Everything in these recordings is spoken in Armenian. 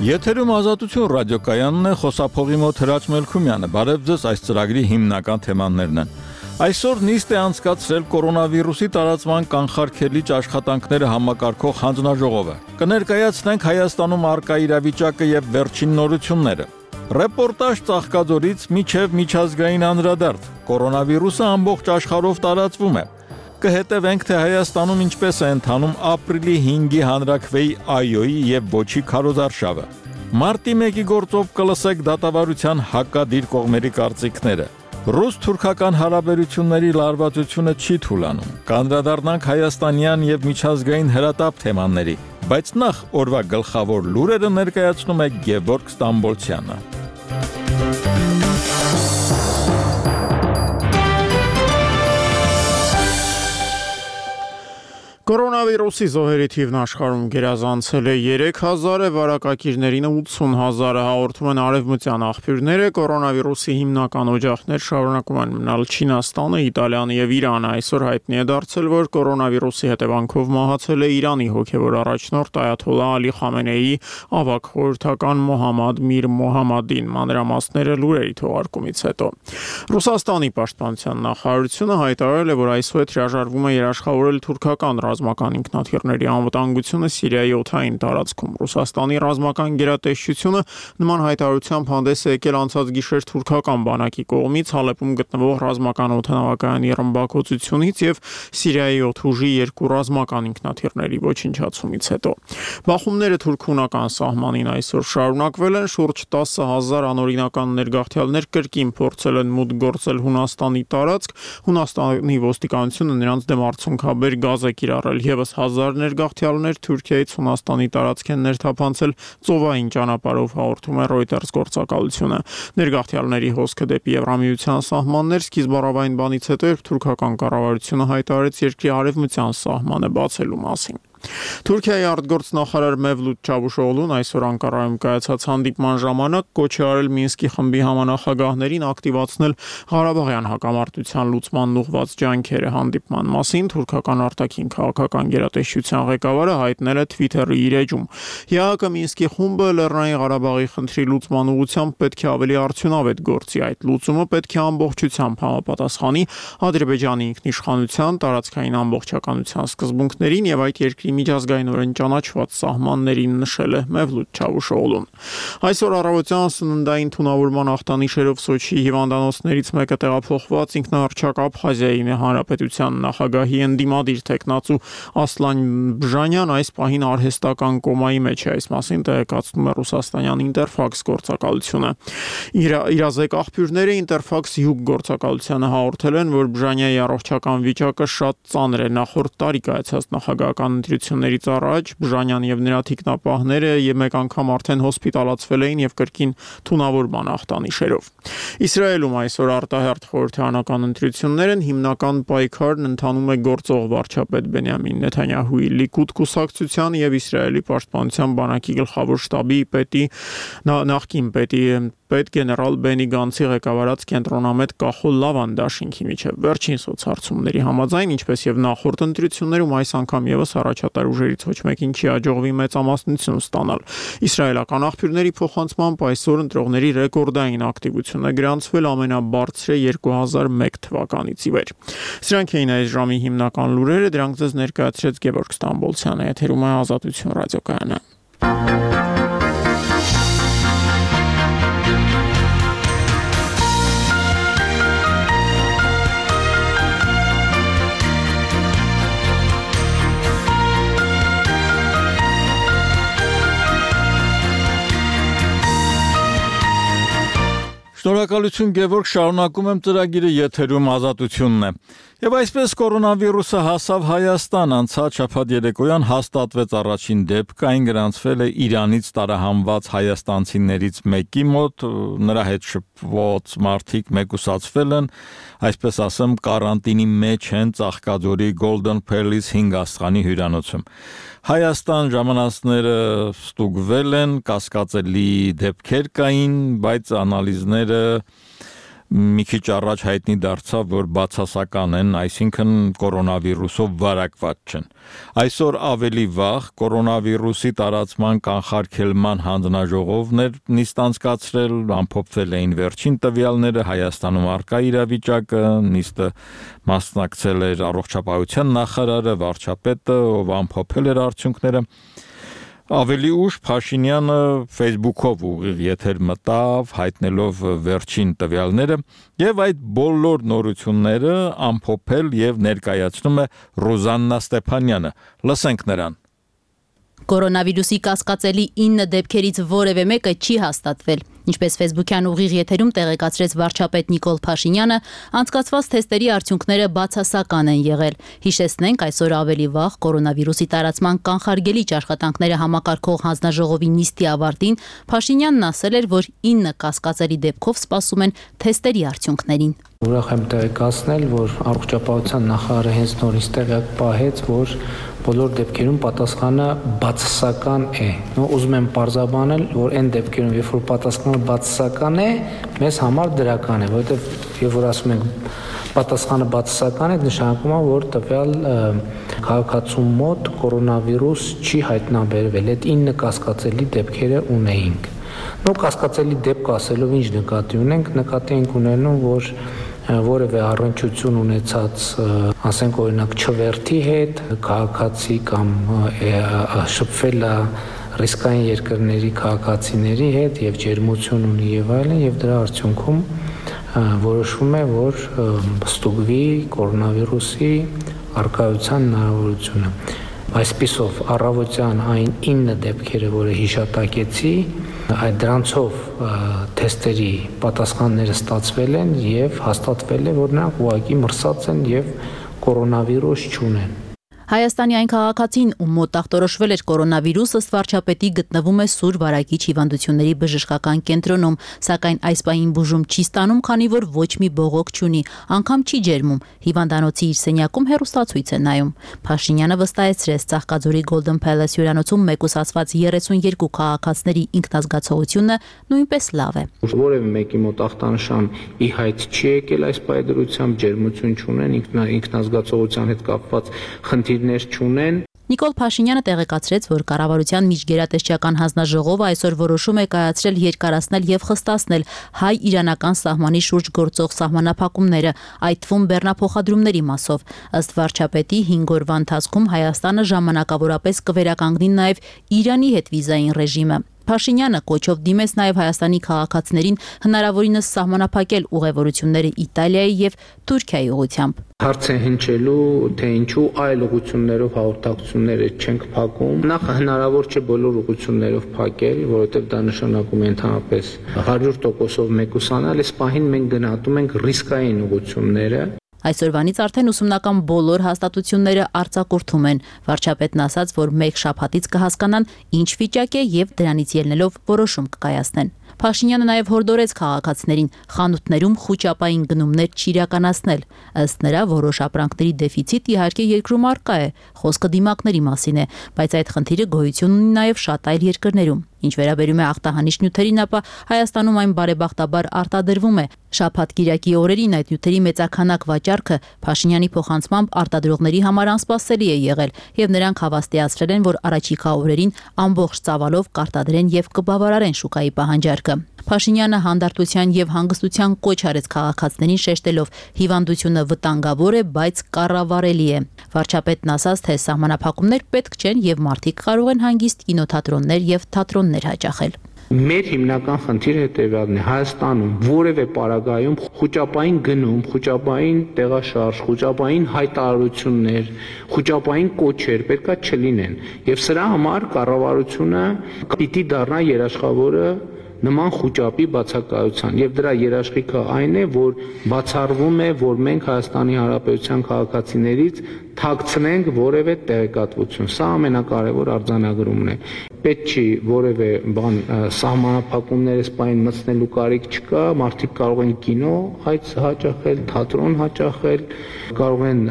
Եթերում Ազատություն ռադիոկայանն է, խոսափողի մոտ Հրաչ Մելքումյանը, բարև ձեզ, այս ծրագրի հիմնական թեմաներն են։ Այսօր նիստ է անցկացրել կորոնավիրուսի տարածման կանխարգելիչ աշխատանքները համակարգող հանձնաժողովը։ Կներկայացնենք Հայաստանում առկա իրավիճակը եւ վերջին նորությունները։ Ռեպորտաժ Ծաղկաձորից մինչև միջազգային անդրադարձ։ Կորոնավիրուսը ամբողջ աշխարհով տարածվում է։ Կհետևենք, թե Հայաստանում ինչպես է ընթանում ապրիլի 5-ի հանրաքվեի այոյի եւ ոչի քարոզարշավը։ Մարտի 1-ի գործով կլսեք դատավարության հակադիր կողմերի կարծիքները։ Ռուս-թուրքական հարաբերությունների լարվածությունը չի թուլանում։ Կանդրադառնանք հայաստանյան եւ միջազգային հրատապ թեմաների, բայց նախ օրվա գլխավոր լուրերը ներկայացնում է Գևորգ Ստամբոլցյանը։ Կորոնավիրուսի զոհերի թիվն աշխարհում գերազանցել է 3000-ը, վարակակիրներին 80,000-ը, հաղորդում են արևմտյան աղբյուրները։ Կորոնավիրուսի հիմնական օջախներ շարունակում են մնալ Չինաստանը, Իտալիան եւ Իրանը։ Այսօր հայտնի է դարձել, որ կորոնավիրուսի հետևանքով մահացել է Իրանի հոգեվոր առաջնորդ Այաթոլլահ Ալի Խամենեիի ավագ խորհրդական Մոհամմադ Միր Մոհամմադին։ Մանրամասները լուրերի թողարկումից հետո։ Ռուսաստանի պաշտպանության նախարարությունը հայտարարել է, որ այսօր հրաժարվում է երաշխավորել թուրքական ռազմական ինքնաթիռների անվտանգությունը Սիրիայի օդային տարածքում։ Ռուսաստանի ռազմական գերատեսչությունը նման հայտարարությամբ հանդես է եկել անցած գիշեր թուրքական բանակի կողմից Հալեպում գտնվող ռազմական օդանավակայանի ռմբակոծությունից եւ Սիրիայի օդուժի 2 ռազմական ինքնաթիռների ոչնչացումից հետո։ Բախումները թուրք-հունական սահմանին այսօր շարունակվել են, շուրջ 10,000 անօրինական ներգաղթյալներ կրկին փորձել են մուտք գործել Հունաստանի տարածք։ Հունաստանի ոստիկանությունը նրանց դեմ արցունքաբեր գազ է կիրառել, եւս 1000 ներգաղթյալներ Թուրքիայից Հունաստանի տարածք են ներթափանցել ծովային ճանապարհով, հաղորդում է Reuters գործակալությունը։ Ներգաղթյալների հոսքը դեպի Եվրամիության սահմաններ սկիզբ առավային բանից հետո, երբ թուրքական կառավարությունը հայտարարեց երկրի արևմտյան սահմանը բացելու մասին։ Թուրքիայի արտգործնախարար Մևլութ Չավուշօղլուն այսօր Անկարայում կայացած հանդիպման ժամանակ կոչ է արել Մինսկի խմբի համանախագահներին ակտիվացնել Ղարաբաղյան հակամարտության լուծմանն ուղղված ջանքերը։ Հանդիպման մասին թուրքական արտաքին քաղաքական գերատեսչության ղեկավարը հայտնել է Twitter-ի իր էջում։ ՀԱԿ-ը Մինսկի խումբը Լեռնային Ղարաբաղի խնդրի լուծման ուղղությամբ պետք է ավելի արդյունավետ գործի։ Այդ լուծումը պետք է ամբողջությամբ համապատասխանի Ադրբեջանի ինքնիշխանության, տարածքային ամբողջականության սկզբունքներին եւ այդ երկրի միջազգայինորեն ճանաչված սահմաններին, նշել է Մևլութ Չավուշօղլուն։ Այսօր առավոտյան սննդային թունավորման ախտանիշերով Սոչիի հիվանդանոցներից մեկը տեղափոխված ինքնահռչակ Աբխազիայի հանրապետության նախագահի ընդդիմադիր տեխնացու Ասլան Բժանյան այս պահին արհեստական կոմայի մեջ է։ Այս մասին տեղեկացնում է ռուսաստանյան Ինտերֆաքս գործակալությունը։ Իրազեկ աղբյուրները Ինտերֆաքս Յուգ գործակալությանը հաղորդել են, որ Բժանյայի առողջական վիճակը շատ ծանր է։ Նախորդ տարի կայացած նախագահական ընտրություններից առաջ Բժանյան եւ նրա թիկնապահները մեկ անգամ արդեն հոսպիտալացվել էին եւ կրկին թունավորման ախտանիշերով։ Իսրայելում այսօր արտահերթ խորհրդարանական ընտրություններ են, հիմնական պայքարն ընթանում է գործող վարչապետ Բենյամին Նեթանյահուի Լիկուդ կուսակցության եւ Իսրայելի պաշտպանության բանակի գլխավոր շտաբի պետի նախկին պետ գեներալ Բենի Գանցի ղեկավարած կենտրոնամետ Կախոլ Լավան դաշինքի միջև վերջին սոցհարցումների համաձայն, ինչպես եւ նախորդ ընտրություններում, այս անգամ եւս առաջատար ուժերից ոչ մեկին չի հաջողվի մեծամասնություն ստանալ։ Իսրայելական աղբյուրների փոխանցմամբ այսօր ընտրողների ռեկորդային ակտիվություն է գրանցվել ամենաբարձրը 2001 թվականից ի վեր։ Սրանք էին այս ժամի հիմնական լուրերը, դրանք ձեզ ներկայացրեց Գևորգ Ստամբոլցյանը, եթերում է Ազատություն ռադիոկայանը։ Շնորհակալություն Գևորգ, շարունակում եմ ծրագիրը, եթերում Ազատությունն է։ Եվ այսպես կորոնավիրուսը հասավ Հայաստան, անցած շաբաթ երեկոյան հաստատվեց առաջին դեպքը, այն գրանցվել է Իրանից տարահանված հայաստանցիներից մեկի մոտ, նրա հետ շփված մարդիկ մեկուսացվել են, այսպես ասեմ, կարանտինի մեջ են Ծաղկաձորի Golden Palace 5 աստղանի հյուրանոցում։ Հայաստան ժամանածները ստուգվել են, կասկածելի դեպքեր կային, բայց անալիզները մի քիչ առաջ հայտնի դարձավ, որ բացասական են, այսինքն կորոնավիրուսով վարակված չեն։ Այսօր ավելի վաղ կորոնավիրուսի տարածման կանխարգելման հանձնաժողովն էր նիստ անցկացրել, ամփոփվել էին վերջին տվյալները, Հայաստանում առկա իրավիճակը, նիստը մասնակցել էր առողջապահության նախարարը, վարչապետը, ով ամփոփել էր արդյունքները։ Ավելի ուշ Փաշինյանը Facebook-ով ուղիղ եթեր մտավ, հայտնելով վերջին տվյալները, եւ այդ բոլոր նորությունները ամփոփել եւ ներկայացնում է Ռոզաննա Ստեփանյանը։ Լսենք նրան։ Կորոնավիրուսի կասկածելի 9 դեպքերից որևէ մեկը չի հաստատվել։ Ինչպես Facebook-յան ուղիղ եթերում տեղեկացրեց վարչապետ Նիկոլ Փաշինյանը, անցկացված թեստերի արդյունքները բացասական են եղել։ Հիշեցնենք, այսօր ավելի վաղ կորոնավիրուսի տարածման կանխարգելիչ աշխատանքները համակարգող հանձնաժողովի նիստի ավարտին Փաշինյանն ասել էր, որ 9 կասկածելի դեպքով սպասում են թեստերի արդյունքներին։ Ուրախ եմ տեղեկացնել, որ առողջապահության նախարարը հենց նորից տեղյակ պահեց, որ բոլոր դեպքերում պատասխանը բացասական է։ Ուզում եմ պարզաբանել, որ այն դեպքերում, երբ որ պատասխանը բացասական է, մեզ համար դրական է, որովհետև երբ որ ասում ենք պատասխանը բացասական է, նշանակում է, որ տվյալ քաղաքացու մոտ կորոնավիրուս չի հայտնաբերվել։ Այդ 9 կասկածելի դեպքերը ունեինք։ Կասկածելի դեպք ասելով ինչ նկատի ունենք, նկատի ենք ունենում, որ որևէ առնչություն ունեցած, ասենք օրինակ չվերթի հետ, քաղաքացի կամ շփվել է ռիսկային երկրների քաղաքացիների հետ եւ ջերմություն ունի եւ այլն, եւ դրա արդյունքում որոշվում է, որ ստուգվի կորոնավիրուսի առկայության հնարավորությունը։ Այսպիսով առավոտյան այն 9 դեպքերը, որը հիշատակեցի, այդ դրանցով թեստերի պատասխանները ստացվել են եւ հաստատվել է, որ նրանք ուղղակի մրսած են եւ կորոնավիրուս չունեն։ Հայաստանի այն քաղաքացին, ում մոտ ախտորոշվել էր կորոնավիրուս, ըստ վարչապետի գտնվում է Սուր Վարակիչ հիվանդությունների բժշկական կենտրոնում, սակայն այս պահին բուժում չի ստանում, քանի որ ոչ մի բողոք չունի, անգամ չի ջերմում։ Հիվանդանոցի իր սենյակում հեռուստացույց է նայում։ Փաշինյանը վստահեցրեց, Ծաղկաձորի Golden Palace հյուրանոցում մեկուսացված 32 քաղաքացիների ինքնազգացողությունը նույնպես լավ է։ Որևէ մեկի մոտ ախտանշան ի հայտ չի եկել այս պայդրությամբ, ջերմություն չունեն, ինքնազգացողության հետ կապված խնդիր չունեն։ Նիկոլ Փաշինյանը տեղեկացրեց, որ կառավարության միջգերատեսչական հանձնաժողովը այսօր որոշում է կայացրել երկարացնել եւ խստացնել հայ-իրանական սահմանի շուրջ գործող սահմանափակումները, այդ թվում բեռնափոխադրումների մասով։ Ըստ վարչապետի 5 օրվա ընթացքում Հայաստանը ժամանակավորապես կվերականգնի նաեւ Իրանի հետ վիզային ռեժիմը։ Փաշինյանը կոչով դիմեց նաև Հայաստանի քաղաքացիներին հնարավորինս սահմանափակել ուղևորությունները Իտալիայի եւ Թուրքիայի ուղղությամբ։ Հարց է հնչելու, թե ինչու այլ ուղղություններով հաղորդակցությունները չենք փակում։ Նախ հնարավոր չէ բոլոր ուղղություններով փակել, որովհետև դա նշանակում է ընդհանրապես 100%-ով մեկուսանալ, այս պահին մենք գնահատում ենք ռիսկային ուղղությունները։ Այսօրվանից արդեն ուսումնական բոլոր հաստատությունները արձակուրդում են։ Վարչապետն ասաց, որ մեկ շաբաթից կհասկանան ինչ վիճակ է եւ դրանից ելնելով որոշում կկայացնեն։ Փաշինյանը նաև հորդորեց քաղաքացիներին խանութներում խուճապային գնումներ չիրականացնել։ Ըստ նրա, որոշ ապրանքների դեֆիցիտ իհարկե երկրում առկա է, խոսքը դիմակների մասին է, բայց այդ խնդիրը գոյություն ունի նաև շատ այլ երկրներում։ Ինչ վերաբերում է ախտահանիչ նյութերին, ապա Հայաստանում այն բարեբախտաբար արտադրվում է։ Շաբաթ-կիրակի օրերին այդ նյութերի մեծաքանակ վաճառքը Փաշինյանի փոխանցմամբ արտադրողների համար անսպասելի է եղել, եւ նրանք հավաստիացրել են, որ առաջիկա օրերին ամբողջ ծավալով կարտադրեն եւ կբավարարեն շուկայի պահանջարկը։ Փաշինյանը հանդարտության եւ հանգստության կոչ արեց քաղաքացիներին, շեշտելով՝ հիվանդությունը վտանգավոր է, բայց կառավարելի է։ Վարչապետն ասաց, թե սահմանափակումներ պետք չեն եւ մարդիկ կարող են հանգիստ կինոթատրոններ եւ թատրոններ հաճախել։ Մեր հիմնական խնդիրը հետևյալն է. Հայաստանում որևէ պարագայում խուճապային գնում, խուճապային տեղաշարժ, խուճապային հայտարարություններ, խուճապային կոչեր պետքա չլինեն։ Եվ սրա համար կառավարությունը պիտի դառնա երաշխավորը նման խուճապի բացակայության, եւ դրա երաշխիքը այն է, որ բացառվում է, որ մենք Հայաստանի Հանրապետության քաղաքացիներից թաքցնենք որևէ տեղեկատվություն։ Սա ամենակարևոր արձանագրումն է։ Պետք չի որևէ բան սահմանափակումներ սպայն մտցնելու կարիք չկա, մարդիկ կարող են կինո հաճախել, թատրոն հաճախել, կարող են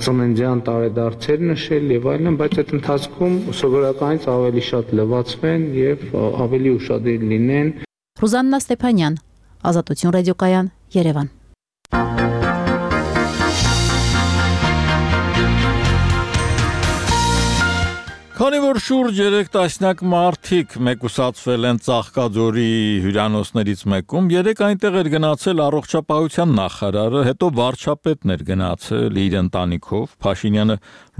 ծննդյան տարեդարձեր նշել եւ այլն, բայց այդ ընթացքում սովորականից ավելի շատ լվացվեն եւ ավելի ուշադիր լինեն։ Ռոզաննա Ստեփանյան, Ազատություն ռադիոկայան, Երևան։ Քանի որ շուրջ 3 տասնյակ մարդիկ մեկուսացվել են Ծաղկաձորի հյուրանոցներից մեկում, 3 այնտեղ էր գնացել առողջապահության նախարարը, հետո վարչապետն էր գնացել իր ընտանիքով, Փաշինյանը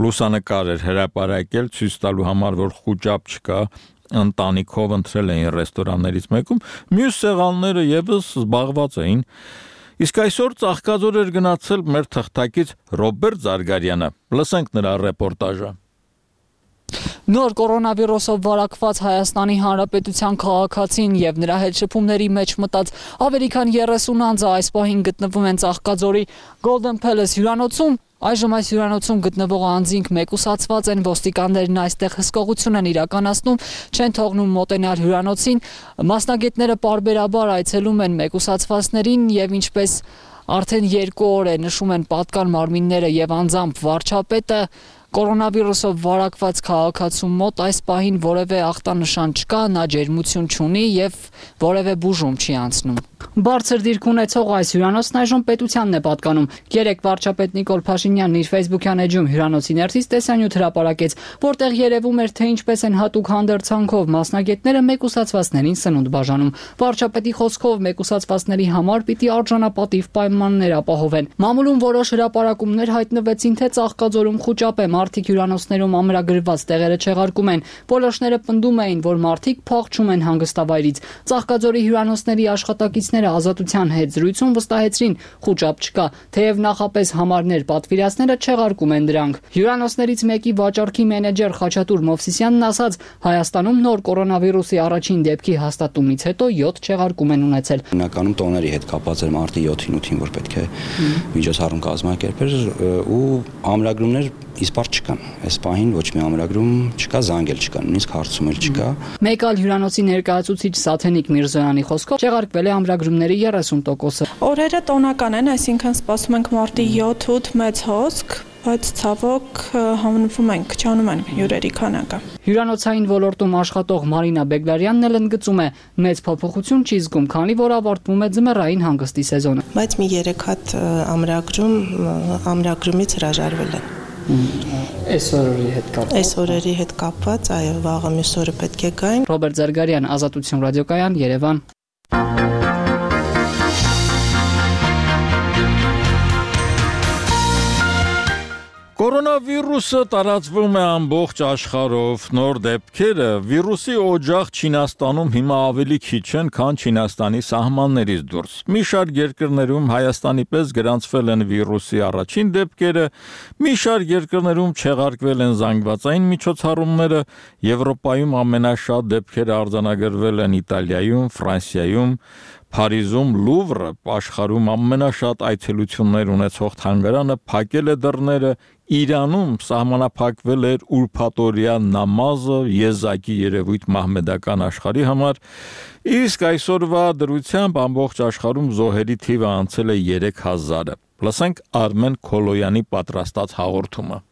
լուսանկար էր հրապարակել ցույց տալու համար, որ խուճապ չկա, ընտանիքով ընտրել էին ռեստորաններից մեկում, մյուս սեղանները եւս զբաղված էին։ Իսկ այսօր Ծաղկաձոր էր գնացել մեր թղթակից Ռոբերտ Զարգարյանը։ Լսենք նրա ռեպորտաժը։ Նոր կորոնավիրուսով վարակված Հայաստանի Հանրապետության քաղաքացին եւ նրա հետ շփումների մեջ մտած ավելի քան 30 անձը այս պահին գտնվում են Ծաղկաձորի Golden Palace հյուրանոցում։ Այժմ այս հյուրանոցում գտնվող անձինք մեկուսացված են, ոստիկաններն այստեղ հսկողություն են իրականացնում, չեն թողնում մոտենալ հյուրանոցին, մասնագետները պարբերաբար այցելում են մեկուսացվածներին եւ ինչպես արդեն 2 օր է նշում են պատկան մարմինները եւ անձամբ վարչապետը, կորոնավիրուսով վարակված քաղաքացու մոտ այս պահին որևէ ախտանշան չկա, նա ջերմություն չունի եւ որևէ բուժում չի անցնում։ Բարձր դիրք ունեցող այս հյուրանոցն այժմ պետությանն է պատկանում։ Երեկ վարչապետ Նիկոլ Փաշինյանն իր Facebook-յան էջում հյուրանոցի ներսից տեսանյութ հրապարակեց, որտեղ երևում էր, թե ինչպես են հատուկ հանդերձանքով մասնագետները մեկուսացվածներին սնունդ բաժանում։ Վարչապետի խոսքով մեկուսացվածների համար պիտի արժանապատիվ պայմաններ ապահովեն։ Մամուլում որոշ հրապարակումներ հայտնվեցին, թե Ծաղկաձորում խուճապ է, մարդիկ հյուրանոցներում ամրագրված տեղերը չեղարկում են։ Որոշները պնդում էին, որ մարդիկ փախչում են հանգստավայրից։ Ծաղկաձորի հյուրանոցների աշխատակիցները Ազատության հետ զրույցում վստահեցրին, խուճապ չկա, թեև նախապես համարներ պատվիրածները չեղարկում են դրանք։ Հյուրանոցներից մեկի վաճառքի մենեջեր Խաչատուր Մովսիսյանն ասաց, Հայաստանում նոր կորոնավիրուսի առաջին դեպքի հաստատումից հետո 7 չեղարկում են ունեցել։ Հիմնականում տոների հետ կապված էր մարտի 7-ին 8-ին, որ պետք է միջոցառում կազմակերպեր ու ամրագրումներ իսպար չկան։ Այս պահին ոչ մի ամրագրում չկա, զանգել չկա, նույնիսկ հարցում էլ չկա։ Մեկ այլ հյուրանոցի ներկայացուցիչ Սաթենիկ Միրզոյանի խոսքով չեղարկվել է ամրագրումների 30%-ը։ Օրերը տոնական են, այսինքն սպասում ենք մարտի 7-8 մեծ հոսք, բայց ցավոք համնվում ենք, չանում են հյուրերի քանակը։ Հյուրանոցային ոլորտում աշխատող Մարինա Բեգլարյանն էլ ընդգծում է, մեծ փոփոխություն չի զգում, քանի որ ավարտվում է ձմեռային հանգստի սեզոնը։ Բայց մի 3 հատ ամրագրումից հրաժարվել են։ Այս օրերի հետ կապված, այո, վաղը մյուս օրը պետք է գային։ Ռոբերտ Զարգարյան, Ազատություն ռադիոկայան, Երևան։ Կորոնավիրուսը տարածվում է ամբողջ աշխարհով, նոր դեպքերը վիրուսի օջախ Չինաստանում հիմա ավելի քիչ են, քան Չինաստանի սահմաններից դուրս։ Մի շարք երկրներում Հայաստանի պես գրանցվել են վիրուսի առաջին դեպքերը, մի շարք երկրներում չեղարկվել են զանգվածային միջոցառումները, Եվրոպայում ամենաշատ դեպքերը արձանագրվել են Իտալիայում, Ֆրանսիայում, Փարիզում Լուվրը, աշխարհում ամենաշատ այցելություններ ունեցող թանգարանը փակել է դռները, Իրանում սահմանափակվել էր ուրփաթօրյա նամազը, եզակի երևույթ մահմեդական աշխարհի համար, իսկ այսօրվա դրությամբ ամբողջ աշխարհում զոհերի թիվը անցել է 3000-ը։ Լսենք Արմեն Քոլոյանի պատրաստած հաղորդումը։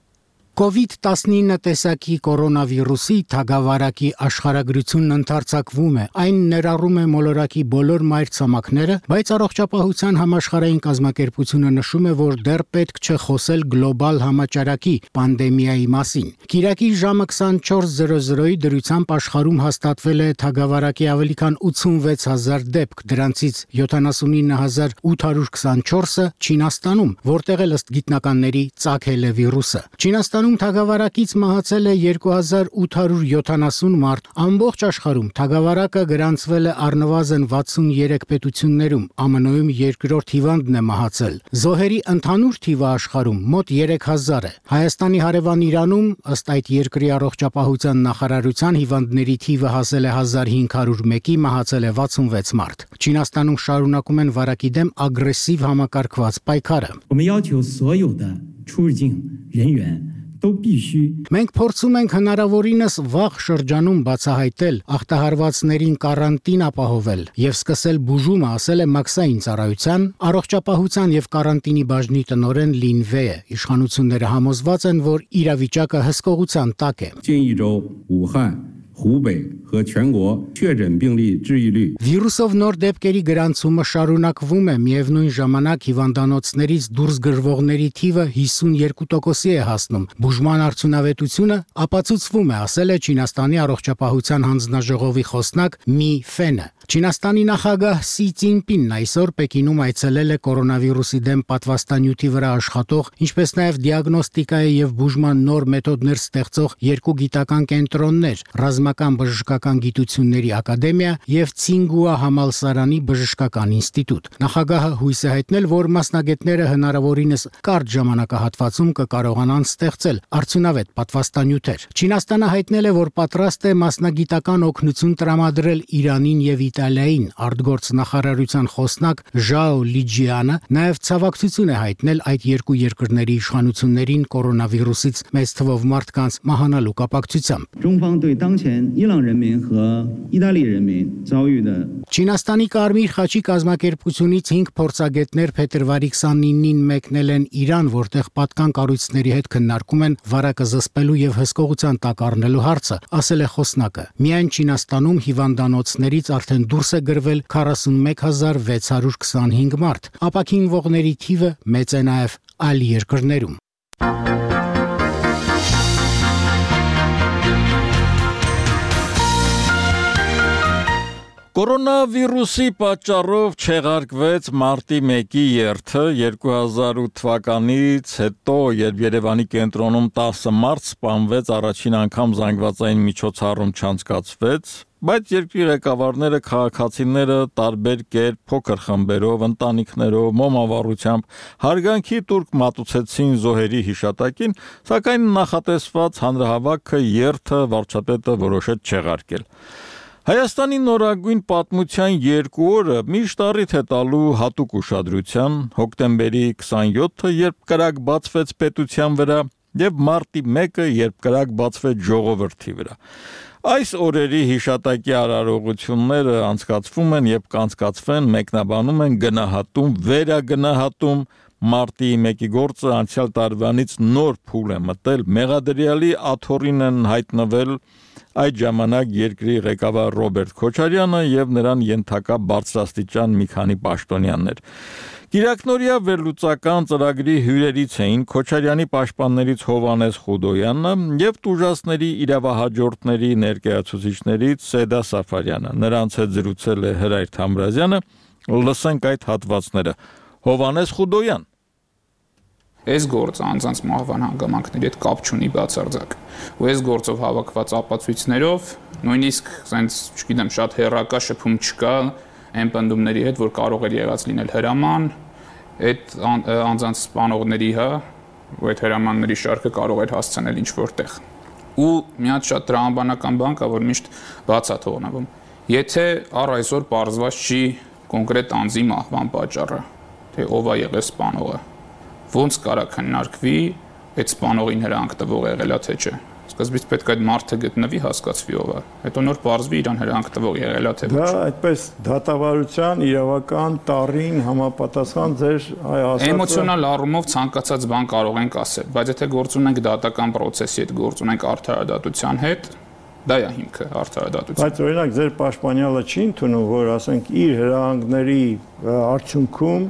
COVID-19 տեսակի կորոնավիրուսի թագավարակի աշխարհագրությունն ընդարձակվում է։ Այն ներառում է մոլորակի բոլոր մայրցամաքները, բայց առողջապահության համաշխարհային կազմակերպությունը նշում է, որ դեռ պետք չէ խոսել գլոբալ համաճարակի պանդեմիայի մասին։ Կիրակի ժամը 24:00-ի դրությամբ աշխարհում հաստատվել է թագավարակի ավելի քան 86000 դեպք, դրանցից 79824-ը Չինաստանում, որտեղ ըստ գիտնականների ծագել է վիրուսը։ Չինաստանում թագավարակից մահացել է 2870 մարդ։ Ամբողջ աշխարհում թագավարակը գրանցվել է առնվազն 63 պետություններում, ԱՄՆ-ում երկրորդ հիվանդն է մահացել։ Զոհերի ընդհանուր թիվը աշխարհում մոտ 3000 է։ Հայաստանի հարևան Իրանում, ըստ այդ երկրի առողջապահության նախարարության, հիվանդների թիվը հասել է 1501-ի, մահացել է 66 մարդ։ Չինաստանում շարունակում են վարակի դեմ ագրեսիվ համակարգված պայքարը։ Մենք փորձում ենք հնարավորինս վաղ շրջանում բացահայտել, ախտահարվածներին կարանտին ապահովել եւ սկսել բուժումը, ասել է Մաքսային ծառայության, առողջապահության եւ կարանտինի բաժնի տնօրեն Լին Վեյը։ Իշխանությունները համոզված են, որ իրավիճակը հսկողության տակ է։ 湖北和全国确诊病例治愈率 Վիրուսով նոր դեպքերի գրանցումը շարունակվում է, միևնույն ժամանակ հիվանդանոցներից դուրս գրվողների թիվը 52%-ի է հասնում։ Բուժման արդյունավետությունը ապացուցվում է, ասել է Չինաստանի առողջապահության հանձնաժողովի խոսնակ Մի Ֆենը։ Չինաստանի նախագահ Սի Ցինպինն այսօր Պեկինում այցելել է կորոնավիրուսի դեմ պատվաստանյութի վրա աշխատող, ինչպես նաև դիագնոստիկայի եւ բուժման նոր մեթոդներ ստեղծող երկու գիտական կենտրոններ՝ Ռազմական բժշկական գիտությունների ակադեմիա եւ Ցինգուա համալսարանի բժշկական ինստիտուտ։ Նախագահը հույս է հայտնել, որ մասնագետները հնարավորինս կարճ ժամանակահատվածում կկարողանան ստեղծել արդյունավետ պատվաստանյութեր։ Չինաստանը հայտնել է, որ պատրաստ է մասնագիտական օգնություն տրամադրել Իրանին եւ Իտալիային։ Արտգործ նախարարության խոսնակ Ժաո Լիջիանը նաև ցավակցություն է հայտնել այդ երկու երկրների իշխանություններին կորոնավիրուսից մեծ թվով մարդկանց մահանալու կապակցությամբ։ Չինաստանի Կարմիր խաչի կազմակերպությունից 5 փորձագետներ փետրվարի 29-ին մեկնել են Իրան, որտեղ պատկան կառույցների հետ քննարկում են վարակը զսպելու եւ հսկողության տակ առնելու հարցը, ասել է խոսնակը։ Միայն Չինաստանում հիվանդանոցներից արդեն դուրս է գրվել 41625 մարդ։ Ապաքինվողների թիվը մեծ է նաև այլ երկրներում։ Կորոնավիրուսի պատճառով չեղարկվեց մարտի 1-ի երթը 2008 թվականից հետո, երբ Երևանի կենտրոնում 10 մարդ սպանվեց, առաջին անգամ զանգվածային միջոցառում չանցկացվեց, բայց երկրի ղեկավարները, քաղաքացիները տարբեր կերպ փոքր խմբերով, ընտանիքներով, մոմավառությամբ հարգանքի տուրք մատուցեցին զոհերի հիշատակին, սակայն նախատեսված հանրահավաքը երթը վարչապետը որոշեց չեղարկել։ Հայաստանի նորագույն պատմության 2 օրը միշտ առիթ է տալու հատուկ ուշադրության, հոկտեմբերի 27-ը, երբ կրակ բացվեց պետության վրա, եւ մարտի 1-ը, երբ կրակ բացվեց ժողովրդի վրա։ Այս օրերի հիշատակի արարողությունները անցկացվում են եւ կանցկացվեն, մեկնաբանում են, գնահատում, վերագնահատում մարտի 1-ի գործը անցյալ տարվանից նոր փուլ է մտել, մեղադրյալի աթոռին են հայտնվել այդ ժամանակ երկրի ղեկավար Ռոբերտ Քոչարյանը եւ նրան ենթակա բարձրաստիճան մի քանի պաշտոնյաներ։ Կիրակնորյա վերլուծական ծրագրի հյուրերից էին Քոչարյանի պաշտպաններից Հովհաննես Խուդոյանը եւ տուժածների իրավահաջորդների ներկայացուցիչներից Սեդա Սաֆարյանը։ Նրանց հետ զրուցել է Հրայր Թամրազյանը։ Լսենք այդ հատվածները։ Հովհաննես Խուդոյան։ Այս գործը անձանց մահվան հանգամանքների հետ կապ չունի բացարձակ։ Ու այս գործով հավաքված ապացույցներով նույնիսկ, ասենց, չգիտեմ, շատ հերակա շփում չկա այն պնդումների հետ, որ կարող էր եղած լինել հրաման, այդ անձանց սպանողների, ու այդ հրամանների շարքը կարող էր հասցնել ինչ-որ տեղ։ Ու մի հատ շատ տրամաբանական բան կա, որ միշտ բաց է թողնվում։ Եթե առ այսօր պարզված չի կոնկրետ անձի մահվան պատճառը, թե ով է եղել սպանողը, ոնց կարա քննարկվի այդ սպանողին հրանք տվող եղելա թե չէ։ Սկզբից պետք է այդ մարդը գտնվի, հասկացվի ով է, հետո նոր պարզվի իրան հրանք տվող եղելա թե ոչ։ Դա այդպես դատավարության իրավական տառին համապատասխան ձեր ասածը էմոցիոնալ առումով ցանկացած բան կարող ենք ասել, բայց եթե գործ ունենք դատական process-ի հետ, գործ ունենք արդարադատության հետ, դա է հիմքը արդարադատության։ Բայց օրինակ ձեր պաշտպանյալը չի ընդունում, որ ասենք իր հրահանգների արդյունքում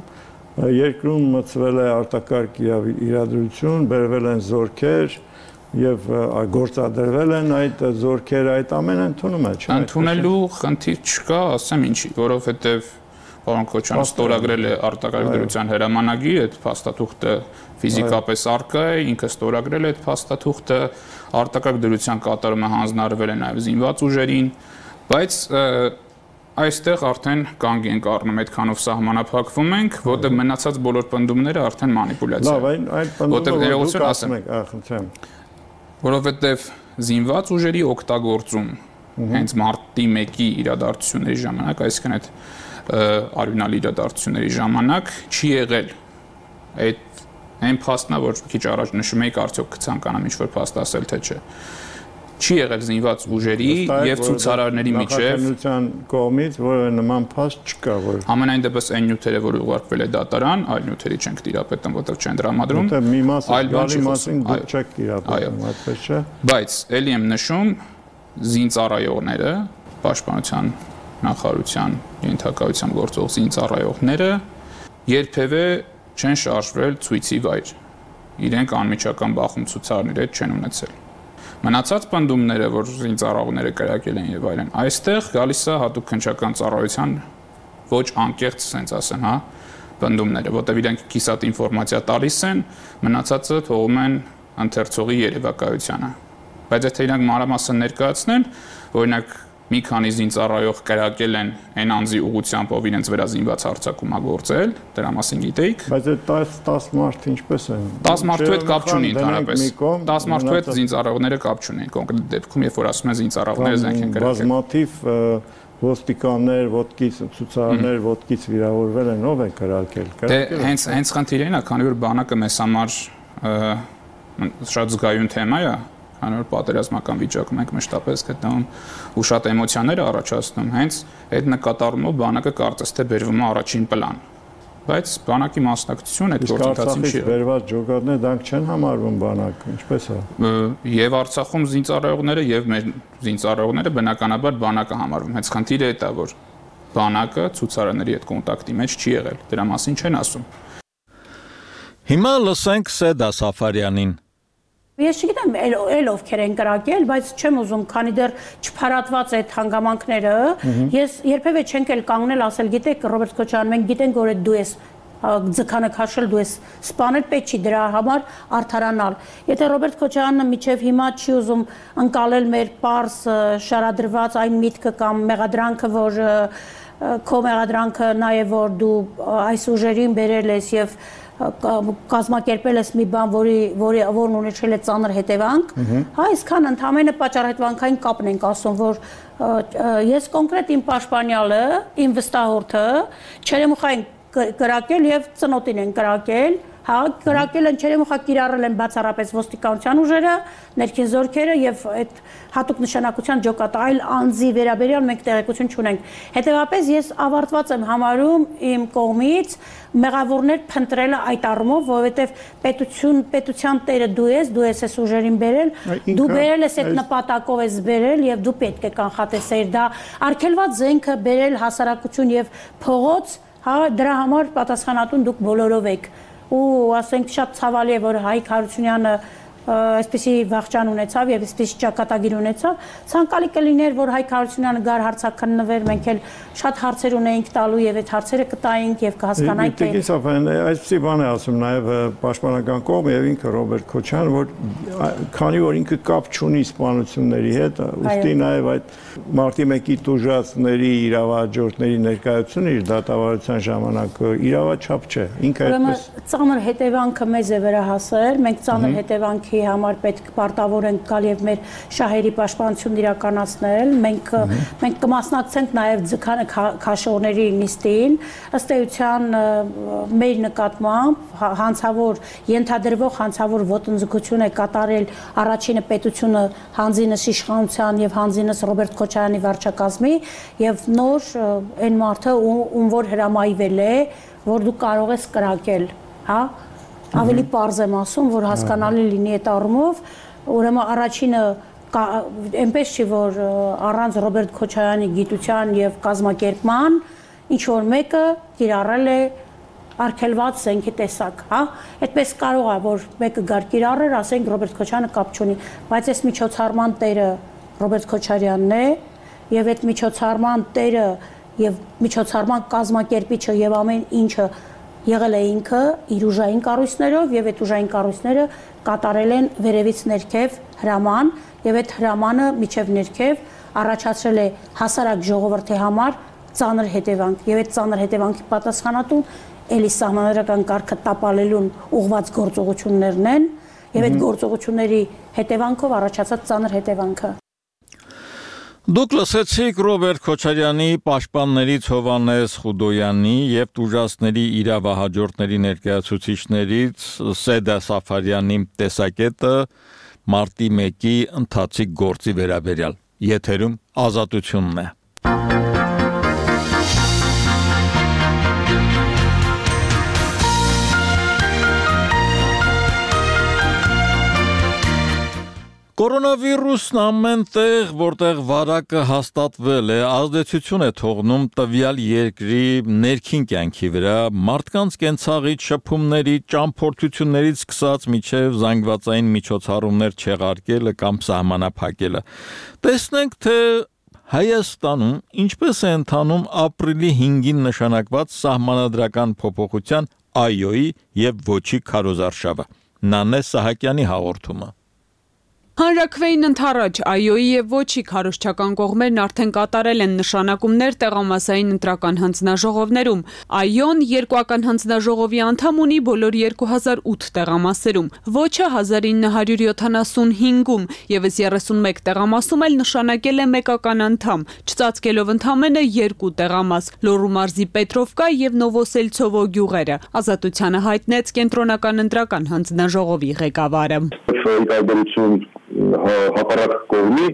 երկրում մցվել է արտակարգ իրադրություն, բերվել են զորքեր եւ գործադրվել են այդ զորքերը, այդ ամենը ընդունում է, չէ՞։ Ընդունելու խնդիր չկա, ասեմ ինչի, որովհետեւ պարոն Քոչարյանը ստորագրել է արտակարգ դրության հրամանագիր, այդ փաստաթուղթը ֆիզիկապես առկա է, ինքը ստորագրել է այդ փաստաթուղթը, արտակարգ դրության կատարումը հանձնարարվել է նաեւ զինված ուժերին, բայց այստեղ արդեն կանգ ենք առնում, այդքանով սահմանափակվում ենք, որտեղ մնացած բոլոր պնդումները արդեն մանիպուլյացիա են։ Լավ, այդ պնդումները ասեմ, խնդրեմ։ Որովհետև զինված ուժերի օգտագործում հենց մարտի 1-ի իրադարձությունների ժամանակ, այսինքն այդ արյունալի իրադարձությունների ժամանակ չի եղել այդ այն փաստն, որ քիչ առաջ նշում էիք, արդյոք կցանկանամ ինչ-որ փաստ ասել թե չէ։ Չի եղել զինված ուժերի եւ ցուցարարների միջև նախաձեռնության կողմից որը նման փաստ չկա, որ ամենայն դեպս այն նյութերը, որ ուղարկվել է դատարան, այլ նյութերի չենք տիրապետում, որտեղ չեն դրամադրում, այլ բանի մասին դուք չեք տիրապետում, այդպես չէ։ Բայց ելի եմ նշում, զինծառայողները, պաշտպանության նախարարության ենթակայությամբ գործող զինծառայողները երբևէ չեն շարժվել ցույցի վայր։ Իրենք անմիջական բախում ցուցարների հետ չեն ունեցել։ Մնացած պնդումները, որ զինծառայողները կրակել են եւ այլն, այստեղ գալիս է հատուկ քննչական ծառայության ոչ անկեղծ, ասենց ասեմ, հա, պնդումները, որտեղ իրենք կիսատ ինֆորմացիա տալիս են, մնացածը թողում են ընթերցողի երևակայությանը։ Բայց եթե իրանք մանրամասն ներկայացնեն, օրինակ մի քանի զինծառայող կրակել են այն անձի ուղղությամբ, ով իրենց վրա զինված հարձակում է գործել, դրա մասին գիտեիք։ Բայց այդ 10 մարդ ինչպես են։ 10 մարդու հետ կապ չունի ընդհանրապես։ 10 մարդու հետ զինծառայողները կապ չունեն, կոնկրետ դեպքում, երբ որ ասում են զինծառայողները զենք են կրակել։ Բազմաթիվ ոստիկաններ, ոտքից ցուցարարներ, ոտքից վիրավորվել են, ով է կրակել։ Դե հենց խնդիրն է, քանի որ բանակը մեզ համար շատ զգայուն թեմա է, քանի որ պատերազմական վիճակում ենք մշտապես գտնվում ու շատ էմոցիաներ առաջացնում, հենց այդ նկատառումով բանակը կարծես թե բերվում է առաջին պլան։ Բայց բանակի մասնակցությունը այդ գործընթացին չի։ Վերված ջոկատներ դրանք չեն համարվում բանակ, ինչպես է։ Եվ Արցախում զինծառայողները եւ մեր զինծառայողները բնականաբար բանակը համարվում։ Հենց խնդիրը այդ է, որ բանակը ցուցարարների հետ կոնտակտի մեջ չի եղել։ Դրա մասին չեն ասում։ Հիմա լսենք Սեդա Սաֆարյանին։ Ես չգիտեմ էլ ովքեր են կրակել, բայց չեմ ուզում, քանի դեռ չփարատված այդ հանգամանքները, ես երբևէ չենք էլ կանգնել ասել, գիտեք, Ռոբերտ Քոչարյան, մենք գիտենք, որ դու ես ձգանը քաշել, դու ես սպանել, պետք չի դրա համար արդարանալ։ Եթե Ռոբերտ Քոչարյանը միջև հիմա չի ուզում ընկալել մեր պարզ շարադրված այն միտքը կամ մեղադրանքը, որ քո մեղադրանքը նաև որ դու այս ուժերին բերել ես եւ կազմակերպել ես մի բան, որն ունեցել է ծանր հետևանք, հա, այսքան ընդհանրապես պատճառահետևանքային կապն ենք ասում, որ ես կոնկրետ իմ պաշտպանյալը, իմ վստահորդը չերեմուխային կրակել եւ ծնոտին են կրակել, հա, կրակել են չերեմուխա կիրառել են բացառապես ոստիկանության ուժերը, ներքին զորքերը եւ այդ հատուկ նշանակության ջոկատը այլ անձի վերաբերյալ մենք տեղեկություն չունենք։ Հետևաբար ես ավարտված եմ համարում իմ կողմից մեղավորներ փնտրելը այդ առումով, որովհետեւ պետության տերը դու ես այս ուժերին բերել, դու բերել ես այդ նպատակով ես բերել եւ դու պետք է կանխատեսեիր դա արգելված զենքը բերել հասարակություն եւ փողոց, հա, դրա համար պատասխանատուն դուք բոլորով եք։ Ու ասենք շատ ցավալի է, որ Հայկ Հարությունյանը այսպեսի վախճան ունեցավ եւ այսպեսի ճակատագիր ունեցավ, ցանկալի կլիներ, որ Հայկ Հարությունյանը գար հարցաքննվեր, մենք էլ շատ հարցեր ունեինք տալու եւ այդ հարցերը կտայինք եւ կհասկանայինք թե այսպեսի բան է ասում նաեւ պաշտպանական կողմը եւ ինքը Ռոբերտ Քոչարյանը, որ քանի որ ինքը կապ չունի սպանությունների հետ, ուստի նաեւ այդ մարտի 1-ի տուժածների իրավահաջորդների ներկայությունը իր դատավարության ժամանակ իրավաչափ չէ, ինքը այդպես ծանր հետևանքը մեզ է վերահասել, մենք ծանր հետևանքի համար պետք պարտավոր ենք գալ եւ մեր շահերի պաշտպանությունն իրականացնել, մենք կմասնակցենք նաեւ ձգանը քաշողների նիստին, ըստ էության մեր նկատմամբ հանցավոր ենթադրվող հանցավոր ոտնձգություն է կատարել առաջինը պետությունը հանձինս իշխանության եւ հանձինս Ռոբերտ Քոչարյանի վարչակազմի եւ նոր այն մարդը ում որ հրամայվել է, որ դու կարող ես կրակել, հա, ավելի պարզ եմ ասում, որ հասկանալի լինի այդ առումով, ուրեմն առաջինը այնպես չի, որ առանց Ռոբերտ Քոչարյանի գիտության եւ կազմակերպման ինչ որ մեկը կիրառել է արգելված զենքի տեսակ, հա, այդպես կարող է, որ մեկը գար կիրառեր, ասենք Ռոբերտ Քոչարյանը կապ չունի, բայց այս միջոցառման տերը Ռոբերտ Քոչարյանն է եւ այդ միջոցառման տերը եւ միջոցառման կազմակերպիչը եւ ամեն ինչը եղել է ինքը իր ուժային կառույցներով եւ այդ ուժային կառույցները կատարել են վերևից ներքև հրաման եւ այդ հրամանը միջև ներքև առաջացրել է հասարակ ժողովրդի համար ծանր հետևանք եւ այդ ծանր հետևանքի պատասխանատուն էլի սահմանադրական կարգը տապալելուն ուղղված գործողություններն են եւ այդ գործողությունների հետևանքով առաջացած ծանր հետևանքը Դուք լսեցիք Ռոբերտ Քոչարյանի պաշտպաններից Հովհաննես Խուդոյանի եւ տուժածների իրավահաջորդների ներկայացուցիչներից Սեդա Սաֆարյանի տեսակետը մարտի 1-ի ընթացիկ գործի վերաբերյալ։ Եթերում Ազատությունն է։ Կորոնավիրուսն ամենտեղ, որտեղ վարակը հաստատվել է, ազդեցություն է թողնում տվյալ երկրի ներքին կյանքի վրա, մարդկանց կենցաղից, շփումների, ճամփորդություններից սկսած մինչև զանգվածային միջոցառումներ չեղարկելը կամ սահմանափակելը։ Տեսնենք, թե Հայաստանում ինչպես է ընթանում ապրիլի 5-ին նշանակված սահմանադրական փոփոխության այոյի եւ ոչի քարոզարշավը։ Նանե Սահակյանի հաղորդումը։ Հանրաքվեին ընթառաջ այոյի եւ ոչի քարոզչական կողմերն արդեն կատարել են նշանակումներ տեղամասային ընտրական հանձնաժողովներում։ Այոն երկուական հանձնաժողովի անդամ ունի բոլոր 2008 տեղամասերում, ոչը 1975-ում, եւս 31 տեղամասում էլ նշանակել է մեկական անդամ, չծածկելով ընդամենը 2 տեղամաս՝ Լոռու մարզի Պետրովկա եւ Նովոսելցովո գյուղերը։ Ազատությանը հայտնեց կենտրոնական ընտրական հանձնաժողովի ղեկավարը։ Հակառակ կողմի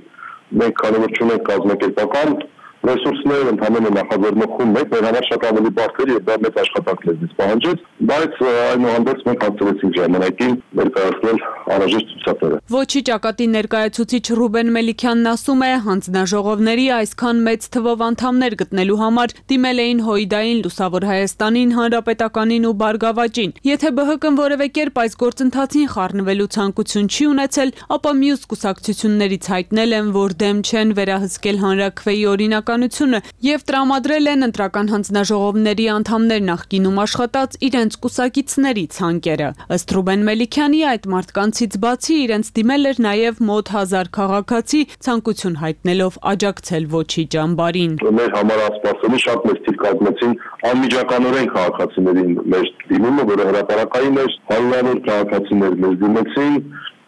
մենք քանի որ չունենք կազմակերպական ռեսուրսներ, ընդհանրապես նախաձեռնողում մեկ մեր համար շատ ավելի բարդ էր եւ դա մեծ աշխատանք լեզվից պահանջեց, բայց այնուհանդերձ մենք հաստատեցինք ժամանակին ներկայացնել անհրաժեշտ ցուցակները։ Ոչի ճակատի ներկայացուցիչ Ռուբեն Մելիքյանն ասում է, հանձնաժողովների այսքան մեծ թվով անդամներ գտնելու համար դիմել էին Հույդային, Լուսավոր Հայաստանին, Հանրապետականին ու Բարգավաճին։ Եթե ԲՀԿ-ն որևէ կերպ այս գործընթացին խառնվելու ցանկություն չի ունեցել, ապա մյուս կուսակցություններից հայտնել են, որ դեմ չեն վերահսկել հանրաքվեի օրինականությունը եւ տրամադրել են ընտրական հանձնաժողովների անդամներ նախկինում աշխատած իրենց կուսակիցների ցանկերը։ Ըստ Ռուբեն Մելիքյանի այդ մարդկանցից բացի իրենց դիմել էր նաեւ մոտ 1000 քաղաքացի ցանկություն հայտնելով աջակցել ոչի ճամբարին։ Մեր համար ասպասելի շատ մեծ թիվ կազմեցին անմիջականորեն քաղաքացիներին մեր դիմումը, որը հրապարակային էր, հարյուրավոր քաղաքացիներ մեզ դիմեցին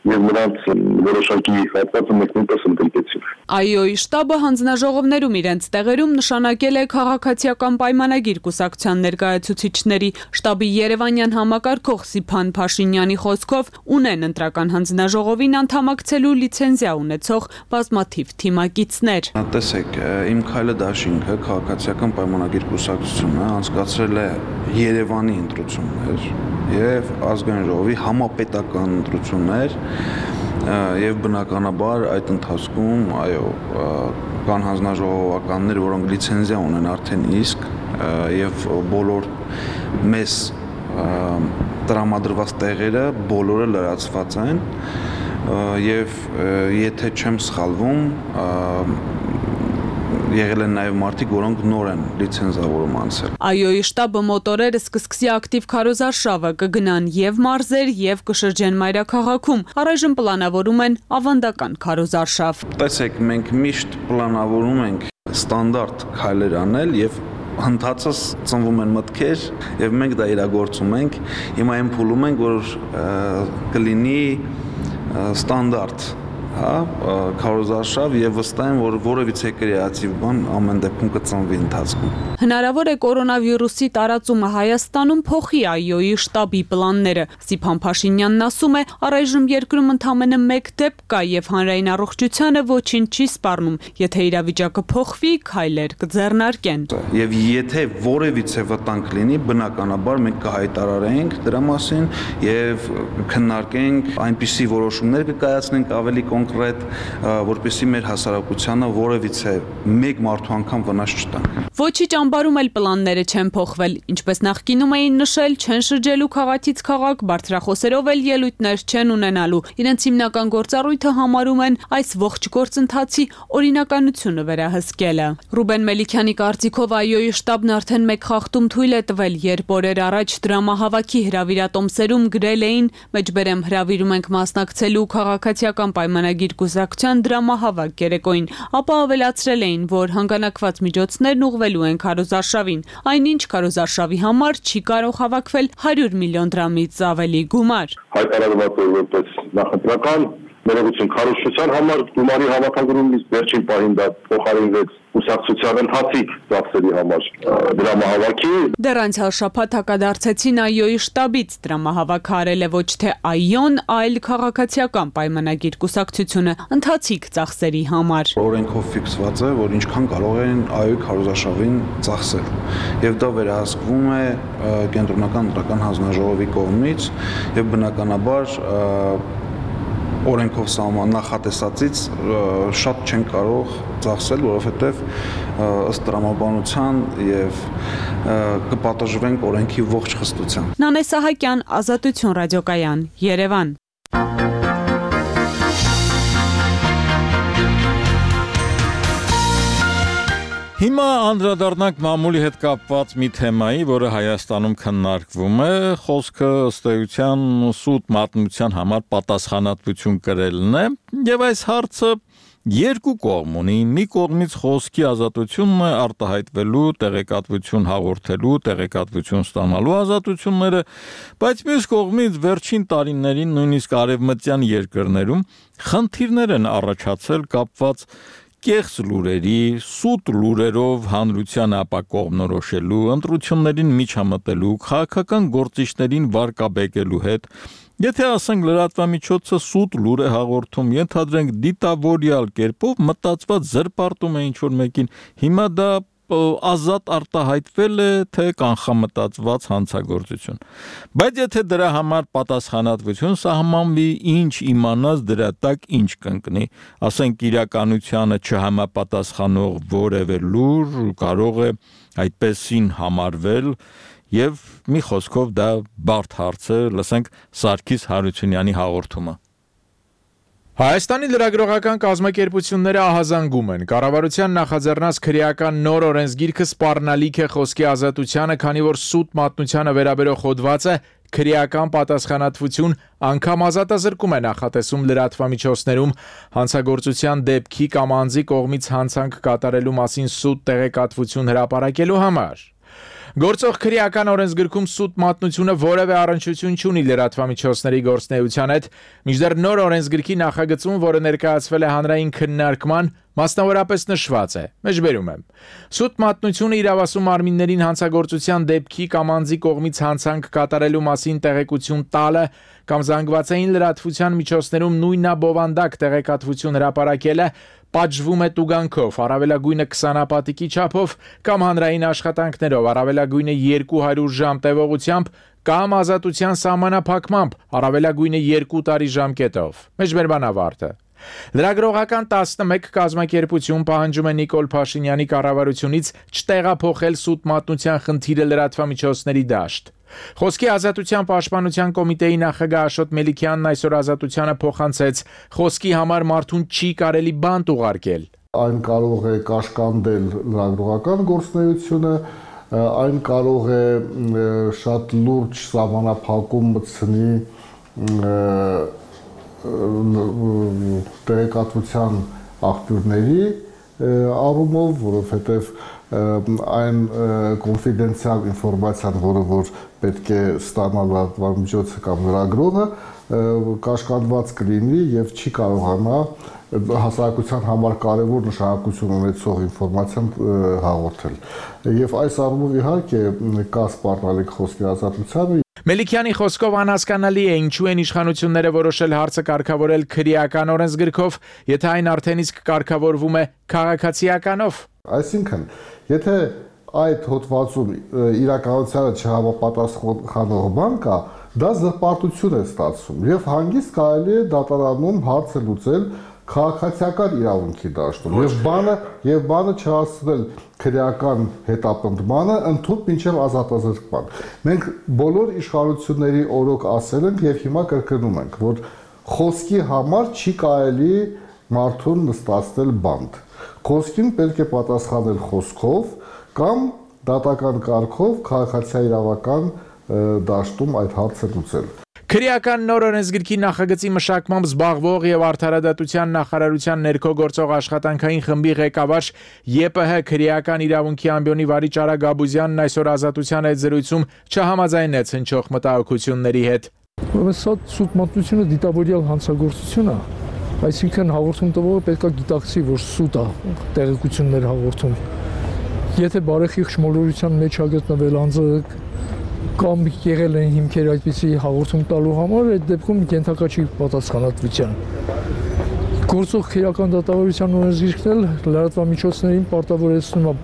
եւ նրանց որոշակի հատվածը մենք նույնպես ընդգրկեցինք։ Այոյի շտաբը հանձնաժողովներում իրենց տեղերում նշանակել է քաղաքացիական պայմանագիր կուսակցության ներկայացուցիչների։ Շտաբի Երևանյան համակարգող Սիփան Փաշինյանի խոսքով ունեն ընտրական հանձնաժողովին անդամակցելու լիցենզիա ունեցող բազմաթիվ թիմակիցներ։ Տեսեք, Իմ քայլը դաշինքը քաղաքացիական պայմանագիր կուսակցությունը անցկացրել է Երևանի ընտրություններ եւ ազգային ժողովի համապետական ընտրություններ եւ բնականաբար այդ ընթացքում կան հանձնաժողովականներ, որոնք լիցենզիա ունեն արդեն իսկ եւ բոլոր մեզ տրամադրված տեղերը բոլորը լրացված են եւ եթե չեմ սխալվում եղել են նաև մարդիկ, որոնք նոր են լիցենզավորում անցել։ Այոյի շտաբը մոտորերս կսկսի ակտիվ քարոզարշավը, կգնան եւ մարզեր եւ կշրջեն մայրաքաղաքում։ Առայժմ պլանավորում են ավանդական քարոզարշավ։ Տեսեք, մենք միշտ պլանավորում ենք ստանդարտ քայլեր անել եւ հնդածս ծնվում են մտքեր եւ մենք դա իրագործում ենք։ Հիմա այն փուլում ենք, որ կլինի ստանդարտ քարոզարշավ եւ վստահ եմ, որ որևիցե կրեատիվ բան ամեն դեպքում կծնվի ընթացքում։ Հնարավոր է կորոնավիրուսի տարածումը Հայաստանում փոխի այոյի շտաբի պլանները։ Սիփան Փաշինյանն ասում է, առայժմ երկրում ընդամենը 1 դեպք կա եւ հանրային առողջությանը ոչինչ չի սպառնում։ Եթե իրավիճակը փոխվի, քայլեր կձեռնարկեն։ Եվ եթե որևիցե վտանգ լինի, բնականաբար մենք կհայտարարենք դրա մասին եւ քննարկենք այնպիսի որոշումներ կկայացնենք ավելի կոնկրետ, որպեսզի մեր հասարակությանը որևիցե մեկ մարդու անգամ վնաս չտանք։ Ոչի ճամբարում էլ պլանները չեն փոխվել, ինչպես նախկինում էին նշել, չեն շրջելու քաղաքից քաղաք, բարձրախոսերով էլ ելույթներ չեն ունենալու։ Իրենց հիմնական գործառույթը համարում են այս ողջ գործընթացի օրինականությունը վերահսկելը։ Ռուբեն Մելիքյանի կարծիքով այոյի շտաբն արդեն մեկ խախտում թույլ է տվել, երբ օրեր առաջ դրամահավաքի հրավիրատոմսերում գրել էին մեջբերեմ հրավիրում ենք մասնակցելու քաղաքացիական պայմանագիր կուսակցության դրամահավաք երեկոյին, ապա ավելացրել էին, որ հանգանակված միջոցներն ուղղվելու են քարոզարշավին, այնինչ քարոզարշավի համար չի կարող հավաքվել 100 միլիոն դրամից ավելի գումար։ Հայտարարված է որպես նախընտրական ներողություն քարոզչության համար գումարի հավաքագրումից վերջին պահին դա փոխարինվեց կուսակցության ընթացիկ ծախսերի համար դրամահավաքի։ Դեռ անցյալ շաբաթ հակադարձեցին այոյի շտաբից, դրամահավաքը արել է ոչ թե այոն, այլ քաղաքացիական պայմանագիր կուսակցությունը ընթացիկ ծախսերի համար։ Օրենքով ֆիքսված է, որ ինչքան կարող են այոյի քարոզարշավին ծախսել, եւ դա վերահսկվում է կենտրոնական ընտրական հանձնաժողովի կողմից եւ բնականաբար օրենքով նախատեսածից շատ չեն կարող ծախսել, որովհետև ըստ տրամաբանության եւ կպատժվենք օրենքի ողջ խստությամբ։ Նանե Սահակյան, Ազատություն ռադիոկայան, Երևան։ Հիմա անդրադառնանք մամուլի հետ կապված մի թեմայի, որը Հայաստանում քննարկվում է, խոսքը ըստ էության սուտ մատնության համար պատասխանատվություն կրելն է, եւ այս հարցը երկու կողմ ունի, մի կողմից խոսքի ազատությունն է, արտահայտվելու, տեղեկատվություն հաղորդելու, տեղեկատվություն ստանալու ազատությունները, բայց մյուս կողմից վերջին տարիներին նույնիսկ արևմտյան երկրներում խնդիրներ են առաջացել կապված կեղծ լուրերի, սուտ լուրերով հանրության ապակողմնորոշելու, ընտրություններին միջամտելու, քաղաքական գործիչներին վարկաբեկելու հետ, եթե ասենք լրատվամիջոցը սուտ լուր է հաղորդում, ենթադրենք դիտավորյալ կերպով մտածված զրպարտում է ինչ-որ մեկին, հիմա դա ազատ արտահայտվել է, թե կանխամտածված հանցագործություն։ Բայց եթե դրա համար պատասխանատվություն սահմանվի, ինչ իմանաս դրա տակ ինչ կընկնի, ասենք իրականությանը չհամապատասխանող որևէ լուր կարող է այդպեսին համարվել եւ մի խոսքով դա բարդ հարց է, լսենք Սարգիս Հարությունյանի հաղորդումը։ Հայաստանի լրագրողական կազմակերպությունները ահազանգում են։ Կառավարության նախաձեռնած քրեական նոր օրենսգիրքը սպառնալիք է խոսքի ազատությանը, քանի որ սուտ մատնությանը վերաբերող հոդվածը քրեական պատասխանատվություն անգամ ազատազրկում է նախատեսում լրատվամիջոցներում հանցագործության դեպքի կամ անձի կողմից հանցանք կատարելու մասին սուտ տեղեկատվություն հրապարակելու համար։ Գործող քրեական օրենսգրքում սուտ մատնությունը որևէ առնչություն չունի լրատվամիջոցների գործունեության հետ, մինչդեռ նոր օրենսգրքի նախագծում, որը ներկայացվել է հանրային քննարկման, մասնավորապես նշված է. Մեջբերում եմ. Սուտ մատնությունը իրավասու մարմիններին հանցագործության դեպքի կամ անձի կողմից հանցանք կատարելու մասին տեղեկություն տալը կամ զանգվածային լրատվության միջոցներում նույնաբովանդակ տեղեկատվություն հրապարակելը պատժվում է տուգանքով, առավելագույնը 20 ապատիկի չափով կամ հանրային աշխատանքներով, առավելագույնը 200 ժամ տևողությամբ կամ ազատության սահմանափակմամբ, առավելագույնը 2 տարի ժամկետով։ Մեջբերման ավարտը։ Լրագրողական 11 կազմակերպություն պահանջում է Նիկոլ Փաշինյանի կառավարությունից չտեղափոխել սուտ մատնության խնդիրը լրատվամիջոցների դաշտ։ Խոսքի ազատության պաշտպանության կոմիտեի նախագահ Աշոտ Մելիքյանն այսօր Ազատությանը փոխանցեց. խոսքի համար մարդուն չի կարելի բանտ ուղարկել։ Այն կարող է կաշկանդել լրագրողական գործունեությունը, այն կարող է շատ լուրջ սահմանափակում մտցնի տեղեկատվության աղբյուրների առումով, որովհետև այն կոնֆիդենցիալ ինֆորմացիան, որ պետք է ստանալ լրատվամիջոցը կամ լրագրողը, կաշկանդված կլինի եւ չի կարողանա հասարակության համար կարևոր նշանակություն ունեցող ինֆորմացիան հաղորդել։ Եվ այս առումով իհարկե կա սպառնալիք խոսքի ազատությանը։ Մելիքյանի խոսքով անհասկանալի է ինչու են իշխանությունները որոշել հարցը կարգավորել քրեական օրենսգրքով, եթե այն արդեն իսկ կարգավորվում է քաղաքացիականով։ Այսինքն, եթե այդ հոդվածում իրականությանը չհամապատասխանող բան կա, դա զրպարտություն է ստացվում եւ հանգիստ կարելի է դատարանում հարցը լուծել քաղաքացիական իրավունքի դաշտում եւ բանը չհասցնել քրեական հետապնդմանը ընդհանուր մինչեւ ազատազրկման։ Մենք բոլոր իշխանությունների օրոք ասել ենք եւ հիմա կրկնում ենք, որ խոսքի համար չի կարելի մարդուն նստացնել բանտ։ Խոսքին պետք է պատասխանել խոսքով կամ դատական կարգով քաղաքացիական դաշտում այդ հարցը լուծել։ Քրեական նոր օրենսգրքի նախագծի մշակմամբ զբաղվող եւ արդարադատության նախարարության ներքո գործող աշխատանքային խմբի ղեկավար ԵՊՀ քրեական իրավունքի ամբիոնի վարիչ Արա Գաբուզյանն այսօր Ազատության այդ զրույցում չհամաձայնեց հնչող մտահոգությունների հետ։ Սա սուտ մատնությունը դիտավորյալ հանցագործություն է, այսինքն հաղորդում տվողը պետք է գիտակցի, որ սուտ է տեղեկություններ հաղորդում։ Եթե բարեխիղճ մոլորության մեջ է գտնվել անձը կամ եղել են հիմքեր այդպիսի հաղորդում տալու համար, այդ դեպքում ենթակա չի պատասխանատվության։ Գործող քրեական դատավարության օրենսգիրքն էլ լրատվամիջոցներին պարտավորեցնում է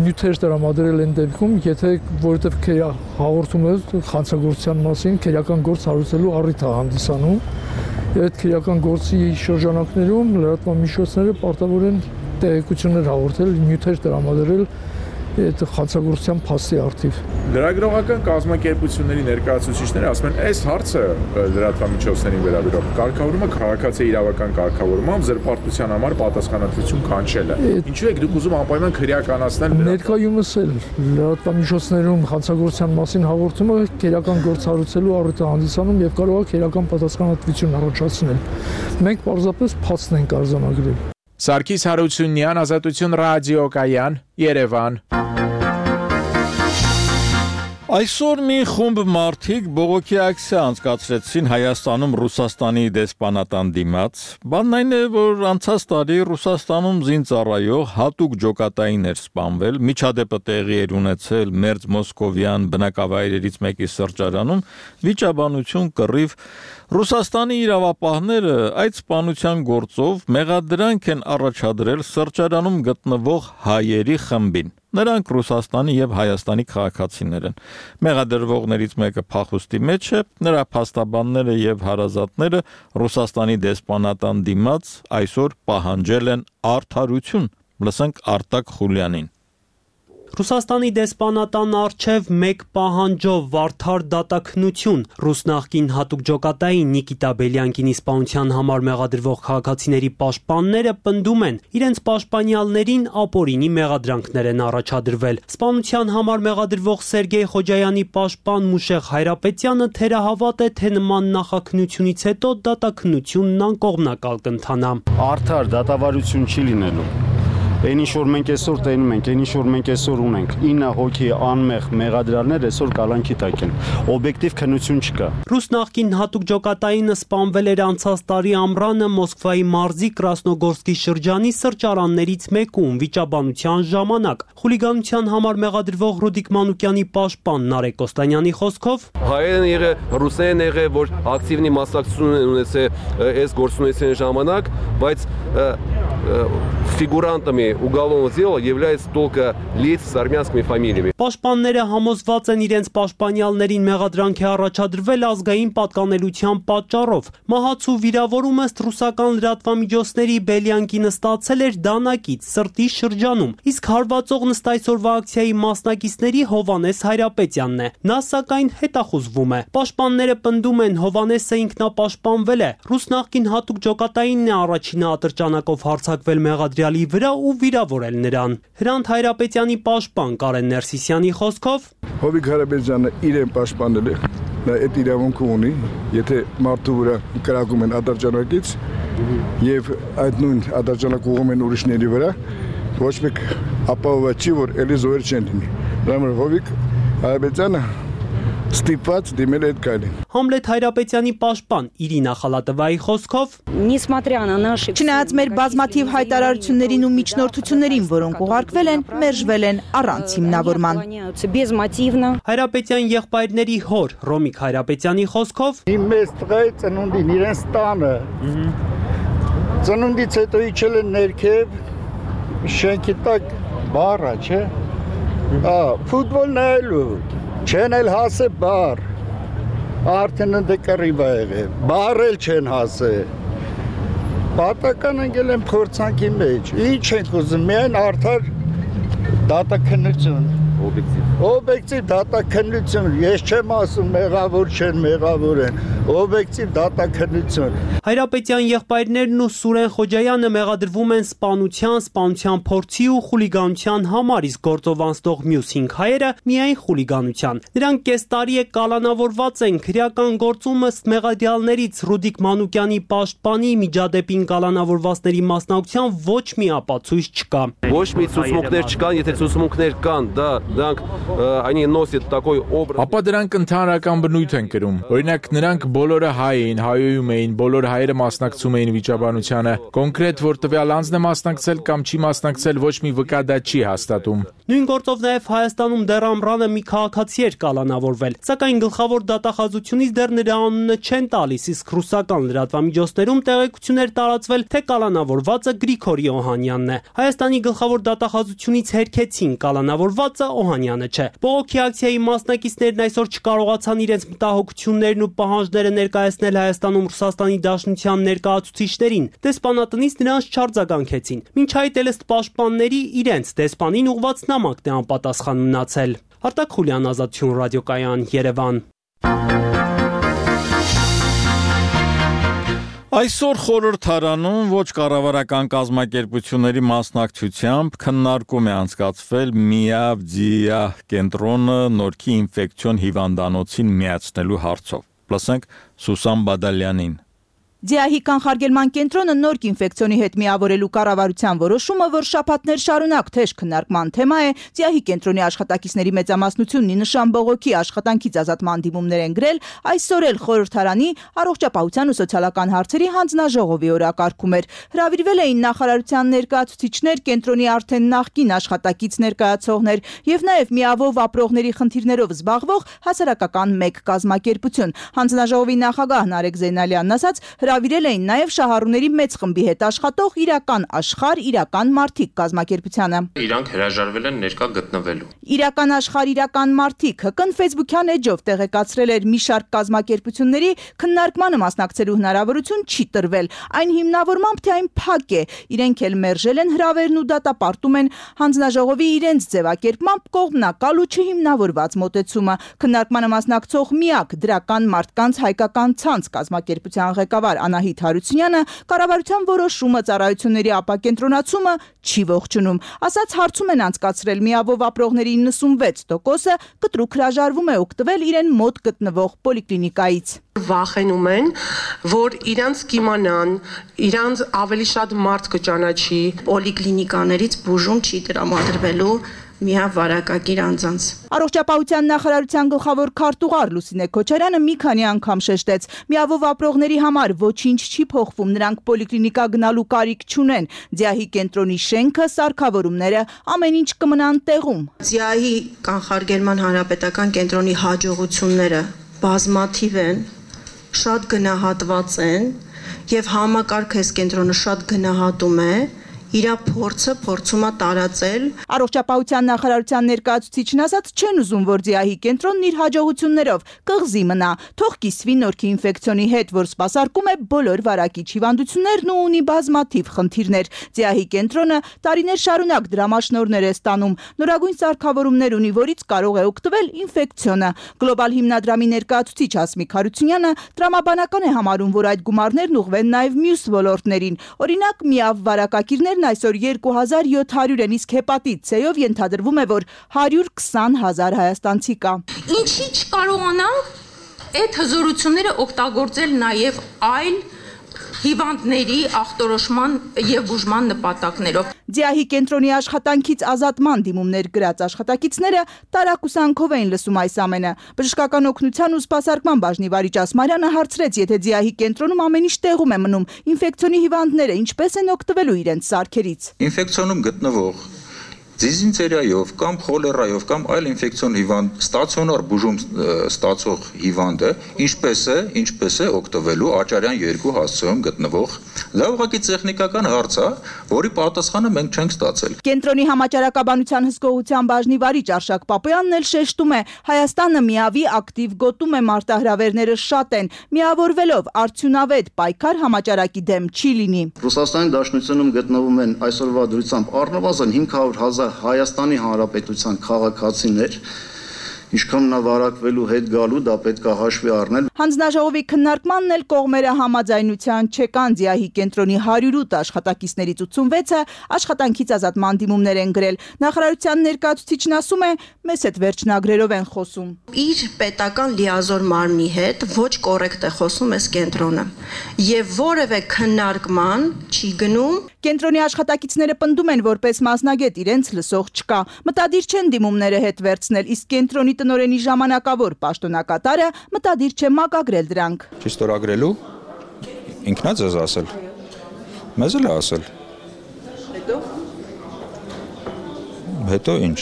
նյութեր տրամադրել են դեպքում, եթե որովհետև հաղորդումը հանցագործության մասին քրեական գործ հարուցելու առիթ է հանդիսանում Այդ քրեական գործի շրջանակներում լրատվամիջոցները պարտավոր են տեղեկություններ հաղորդել, նյութեր տրամադրել այդ խացագործության փաստի արդիվ։ Լրագրողական կազմակերպությունների ներկայացուցիչները ասում են, այս հարցը լրատվամիջոցներին վերաբերող կարգավորումը քաղաքացի իրավական կարգավորումով զրպարտության համար պատասխանատվություն կանչելը։ Ինչու եք դուք ուզում անպայման քրեականացնել ներկայումս էլ լրատվամիջոցներում խացագործության մասին հաղորդումը քրեական գործառույթելու առիթ է հանդիսանում եւ կարող է քրեական պատասխանատվություն առաջացնել։ Մենք պարզապես փաստն ենք արձանագրել։ Սարգիս Հարությունյան, Ազատություն ռադիոկայան, Երևան։ Այսօր մի խումբ մարդիկ բողոքի ակցիա անցկացրեցին Հայաստանում Ռուսաստանի դեսպանատան դիմաց։ Բանն այն է, որ անցած տարի Ռուսաստանում զինծառայող հատուկ ջոկատային էր սպանվել, միջադեպը տեղի էր ունեցել Մերձ Մոսկովյան բնակավայրերից մեկի սրճարանում, վիճաբանություն կռիվ։ Ռուսաստանի իրավապահները այդ սպանության գործով մեղադրանք են առաջադրել սրճարանում գտնվող հայերի խմբին։ Նրանք Ռուսաստանի եւ Հայաստանի քաղաքացիներ են։ Մեղադրվողներից մեկը փախուստի մեջ է, նրա փաստաբանները եւ հարազատները Ռուսաստանի դեսպանատան դիմաց այսօր պահանջել են արդարություն։ Լսենք Արտակ Խուլյանին։ Ռուսաստանի դեսպանատան առջև մեկ պահանջով վարդար դատաքնություն ռուս նախկին հատուկ ջոկատային Նիկիտա Բելյանկինի սպանության համար մեղադրվող քաղաքացիների պաշտպանները պնդում են, իրենց պաշտպանյալներին ապօրինի մեղադրանքներ են առաջադրվել։ Սպանության համար մեղադրվող Սերգեյ Խոջայանի պաշտպան Մուշեղ Հայրապետյանը թերահավատ է, թե նման նախաքննությունից հետո դատաքննությունն անկողմնակալ կընթանա։ Արդար դատավարություն չի լինելու։ Այն ինչ որ մենք այսօր տենում ենք, այն ինչ որ մենք այսօր ունենք, 9 հոգի անմեղ մեղադրյալներ այսօր կալանքի տակ են։ Օբյեկտիվ քննություն չկա։ Ռուս նախկին հատուկ ջոկատայինը սպանվել էր անցած տարի ամռանը Մոսկվայի մարզի Կրասնոգորսկի շրջանի սրճարաններից մեկում վիճաբանության ժամանակ։ Խուլիգանության համար մեղադրվող Ռուդիկ Մանուկյանի պաշտպան Նարեկ Կոստանյանի խոսքով հայերեն եղել, ռուսերեն եղել, որ ակտիվնի մասնակցություն են ունեցել այս գործունեության ժամանակ, բայց фигурантами уголовного дела являются только лица с армянскими фамилиями. Պաշտպանները համոզված են իրենց պաշտպանյալներին մեղադրանք է առաջադրվել ազգային պատկանելության պատճառով։ Մահացու վիրավորումը ըստ ռուսական լրատվամիջոցների Բելյանկինը ստացել էր դանակից սրտի շրջանում, իսկ հարվածողն ըստ այսօրվա ակցիայի մասնակիցների Հովանես Հայրապետյանն է։ Նա սակայն հետախուզվում է։ Պաշտպանները պնդում են Հովանեսը ինքնապաշտպանվել է։ Ռուս նախկին հատուկ ջոկատայինն է առաջինը ատրճանակով հարձակվել մեղադրյալի վրա ու վիրավորել նրան։ Հրանտ Հայրապետյանի պաշտպան Կարեն Ներսիսյանի խոսքով Հովիկ Հայրապետյանը իրեն պաշտպանել է, նա այդ իրավունքը ունի, եթե մարդու վրա կրակում են ատրճանակից եւ այդ նույն ատրճանակ ուղղում են ուրիշների վրա, ոչ մեկ ապահովված չի, որ էլի զոհեր չեն լինի։ Դրա Հովիկ Հայրապետյանը ստիպված դիմել այդ կայլին։ Համլետ Հայրապետյանի պաշտպան Իրինա Խալատովայի խոսքով Չնայած մեր բազմաթիվ հայտարարություններին ու միջնորդություններին, որոնք ուղարկվել են, մերժվել են առանց հիմնավորման։ Հայրապետյան եղբայրների հոր Ռոմիկ Հայրապետյանի խոսքով Իմ մեծ տղայի ծնունդին իրենց տանը ծնունդից հետո իջել են ներքև շենքի տակ բառա, չէ։ Ֆուտբոլ նայելու չեն էլ հասե բար, արդեն ընդ կռիվ ա եղել, բար էլ չեն հասե, պատական ընկել են փորձանքի մեջ, ինչ ենք ուզում, միայն արդար դատաքննություն, օբյեկտիվ դատաքննություն, ես չեմ ասում մեղավոր չեն, մեղավոր են, օբյեկտիվ դատաքննություն։ Հայրապետյան եղբայրներն ու Սուրեն Խոջայանը մեղադրվում են սպանության փորձի ու խուլիգանության համար, իսկ գործով անցնող մյուս 5 հայերը միայն խուլիգանության։ Նրանք կես տարի է կալանավորված են, քրեական գործում ըստ մեղադրյալներից Ռուդիկ Մանուկյանի պաշտպանի միջադեպին կալանավորվածների մասնակցության ոչ մի ապացույց չկա։ Ոչ մի ցուցմունքներ չկան, եթե ցուցմունքներ կան, դրանք они носят такой образ։ Ապա դրանք ընդհանրական բնույթ են կրում։ Օրինակ նրանք բոլորը հայ էին, հայոյում էին, բոլոր հայերը մասնակցում էին վիճաբանությանը։ Կոնկրետ որ տվյալ անձն է մասնակցել կամ չի մասնակցել, ոչ մի վկա դա չի հաստատում։ Նույն գործով նաև Հայաստանում դեռ ամռանը մի քաղաքացի էր կալանավորվել, սակայն գլխավոր դատախազությունից դեռ նրա անունը չեն տալիս, իսկ ռուսական լրատվամիջոցներում տեղեկություն էր տարածվել, թե կալանավորվածը Գրիգորի Օհանյանն է։ Հայաստանի գլխավոր դատախազությունից հերքեցին կալանավորվածը Օհանյանը չէ։ Բողոքի ակցիայի մասնակիցներն այսօր չկարողացան իրենց մտահոգություններն ու պահանջները ներկայացնել Հայաստանում Ռուսաստանի Դաշնության ներկայացուցիչներին։ Դեսպանատնից նրանց չարձագանքեցին։ Մինչ այդ էլ ըստ պաշտպանների իրենց դեսպանին ուղված նամակն է անպատասխան մնացել։ Արտակ Խուլյան, Ազատություն ռադիոկայան, Երևան։ Այսօր խորհրդարանում ոչ կառավարական կազմակերպությունների մասնակցությամբ քննարկում է անցկացվել Միավդիա կենտրոնը Նորքի ինֆեկցիոն հիվանդանոցին միացնելու հարցով։ Լսենք Սուսան Բադալյանին։ Ձիահի կանխարգելման կենտրոնը նորք ինֆեկցիոնի հետ միավորելու կառավարության որոշումը, որ շաբաթներ շարունակ թեժ քննարկման թեմա է, Ձիահի կենտրոնի աշխատակիցների մեծամասնությունն ի նշան բողոքի աշխատանքից ազատման դիմումներ են գրել, այսօր էլ խորհրդարանի առողջապահության ու սոցիալական հարցերի հանձնաժողովի օրակարգում էր։ Հրավիրվել էին նախարարության ներկայացուցիչներ, կենտրոնի արդեն նախկին աշխատակից ներկայացողներ եւ նաեւ միավով ապրողների խնդիրներով զբաղվող հասարակական մեկ կազմակերպություն։ Հանձնաժողովի նախագահ Նարեկ Զեյնալյանն ասաց, հրավիրել էին նաև շահառուների մեծ խմբի հետ աշխատող իրական աշխարհ, իրական մարդիկ կազմակերպությանը։ Իրանք հրաժարվել են ներկա գտնվելու։ Իրական աշխարհ, իրական մարդիկ ՀԿ-ն Facebook-յան էջով տեղեկացրել էր մի շարք կազմակերպությունների քննարկմանը մասնակցելու հնարավորություն չի տրվել։ Այն հիմնավորմամբ թե այն փակ է, իրենք էլ մերժել են հրավերն ու դատապարտում են հանձնաժողովի իրենց ձևակերպմամբ կողմնակալ ու չհիմնավորված մոտեցումը։ Քննարկմանը մասնակցող միակ դրական մարդկանց հայկական ցանց կազմակերպության ղեկավար Անահիտ Հարությունյանը կառավարության որոշումը ծառայությունների ապակենտրոնացումը չի ողջունում։ Ասաց հարցում են անցկացրել միավով ապրողների 96%-ը կտրուկ հրաժարվում է օգտվել իրեն մոտ գտնվող պոլիկլինիկայից։ Վախենում են, որ իրանց կիմանան, իրանց ավելի շատ մարդ կճանաչի, պոլիկլինիկաներից բուժում չի տրամադրվելու միավ վարակակիր անձանց։ Առողջապահության նախարարության գլխավոր քարտուղար Լուսինե Քոչարյանը մի քանի անգամ շեշտեց. միավով ապրողների համար ոչինչ չի փոխվում, նրանք պոլիկլինիկա գնալու կարիք չունեն։ Ձիահի կենտրոնի շենքը, սարքավորումները, ամեն ինչ կմնան տեղում։ Ձիահի կանխարգելման հանրապետական կենտրոնի հաջողությունները բազմաթիվ են, շատ գնահատված են եւ համակարգ այս կենտրոնը շատ գնահատում է։ Իրա փորձը փորձում է տարածել։ Առողջապահության նախարարության ներկայացուցիչն ասաց, չեն ուզում, որ Ձիահի կենտրոնն իր հաջողություններով կղզի մնա, թող կիսվի նորքի ինֆեկցիոնի հետ, որ սպասարկում է բոլոր վարակիչ հիվանդություններն ու ունի բազմաթիվ խնդիրներ։ Ձիահի կենտրոնը տարիներ շարունակ դրամաշնորհներ է ստանում, նորագույն սարքավորումներ ունի, որից կարող է օգտվել ինֆեկցիոնը։ Գլոբալ հիմնադրամի ներկայացուցիչ Հասմիկ Հարությունյանը տրամաբանական է համարում, որ այդ գումարներն ուղղվեն նաև մյուս ոլորտներին։ Օրինակ, միավ վարակակիրներ այսօր 2700 են, իսկ հեպատիտ C-ով ենթադրվում է, որ 120,000 հայաստանցի կա։ Ինչի չկարողանանք այդ հզորությունները օգտագործել նաև այլ հիվանդների ախտորոշման եւ բուժման նպատակներով։ Ձիահի կենտրոնի աշխատանքից ազատման դիմումներ գրած աշխատակիցները տարակուսանքով էին լսում այս ամենը։ Բժշկական օգնության ու սպասարկման բաժնի վարիչ Ասմարյանը հարցրեց, եթե Ձիահի կենտրոնում ամեն ինչ տեղում է մնում, ինֆեկցիոնի հիվանդները ինչպես են օգտվելու իրենց սարքերից։ Ինֆեկցիոնում գտնվող դիզինտերիայով կամ խոլերայով կամ այլ ինֆեկցիոն հիվանդ ստացիոնար բուժում ստացող հիվանդը ինչպես է օգտվելու Աճարյան 2 հասցեում գտնվող դա ուղղակի տեխնիկական հարց է, որի պատասխանը մենք չենք ստացել։ Կենտրոնի համաճարակաբանության հսկողության բաժնի վարիչ Արշակ Պապոյանն էլ շեշտում է, Հայաստանը միավի ակտիվ գոտում է, մարտահրավերները շատ են, միավորվելով արդյունավետ պայքար համաճարակի դեմ չի լինի։ Ռուսաստանի Դաշնությունում գտնվում են այսօրվա դրությամբ առնվազն 500,000 Հայաստանի Հանրապետության քաղաքացիներ, ինչքան նա վարակվելու հետ գալու դա պետք է հաշվի առնել։ Հանձնաժողովի քննարկմանն էլ կողմերը համաձայնության չեկան։ Ձիահի կենտրոնի 108 աշխատակիցներից 86-ը աշխատանքից ազատման դիմումներ են գրել։ Նախարարության ներկայացուցիչն ասում է, մեզ հետ վերջնագրերով են խոսում։ Իր պետական լիազոր մարմնի հետ ոչ կոռեկտ է խոսում այս կենտրոնը եւ որևէ քննարկման չի գնում։ Կենտրոնի աշխատակիցները պնդում են, որպես մասնագետ իրենց լսող չկա։ Մտադիր չեն դիմումները հետ վերցնել, իսկ կենտրոնի տնօրենի ժամանակավոր պաշտոնակատարը մտադիր չէ մակագրել դրանք։ Չի ստորագրելու ինքնա ձեզ ասել։ Մեզ էլ է ասել։ Հետո ինչ։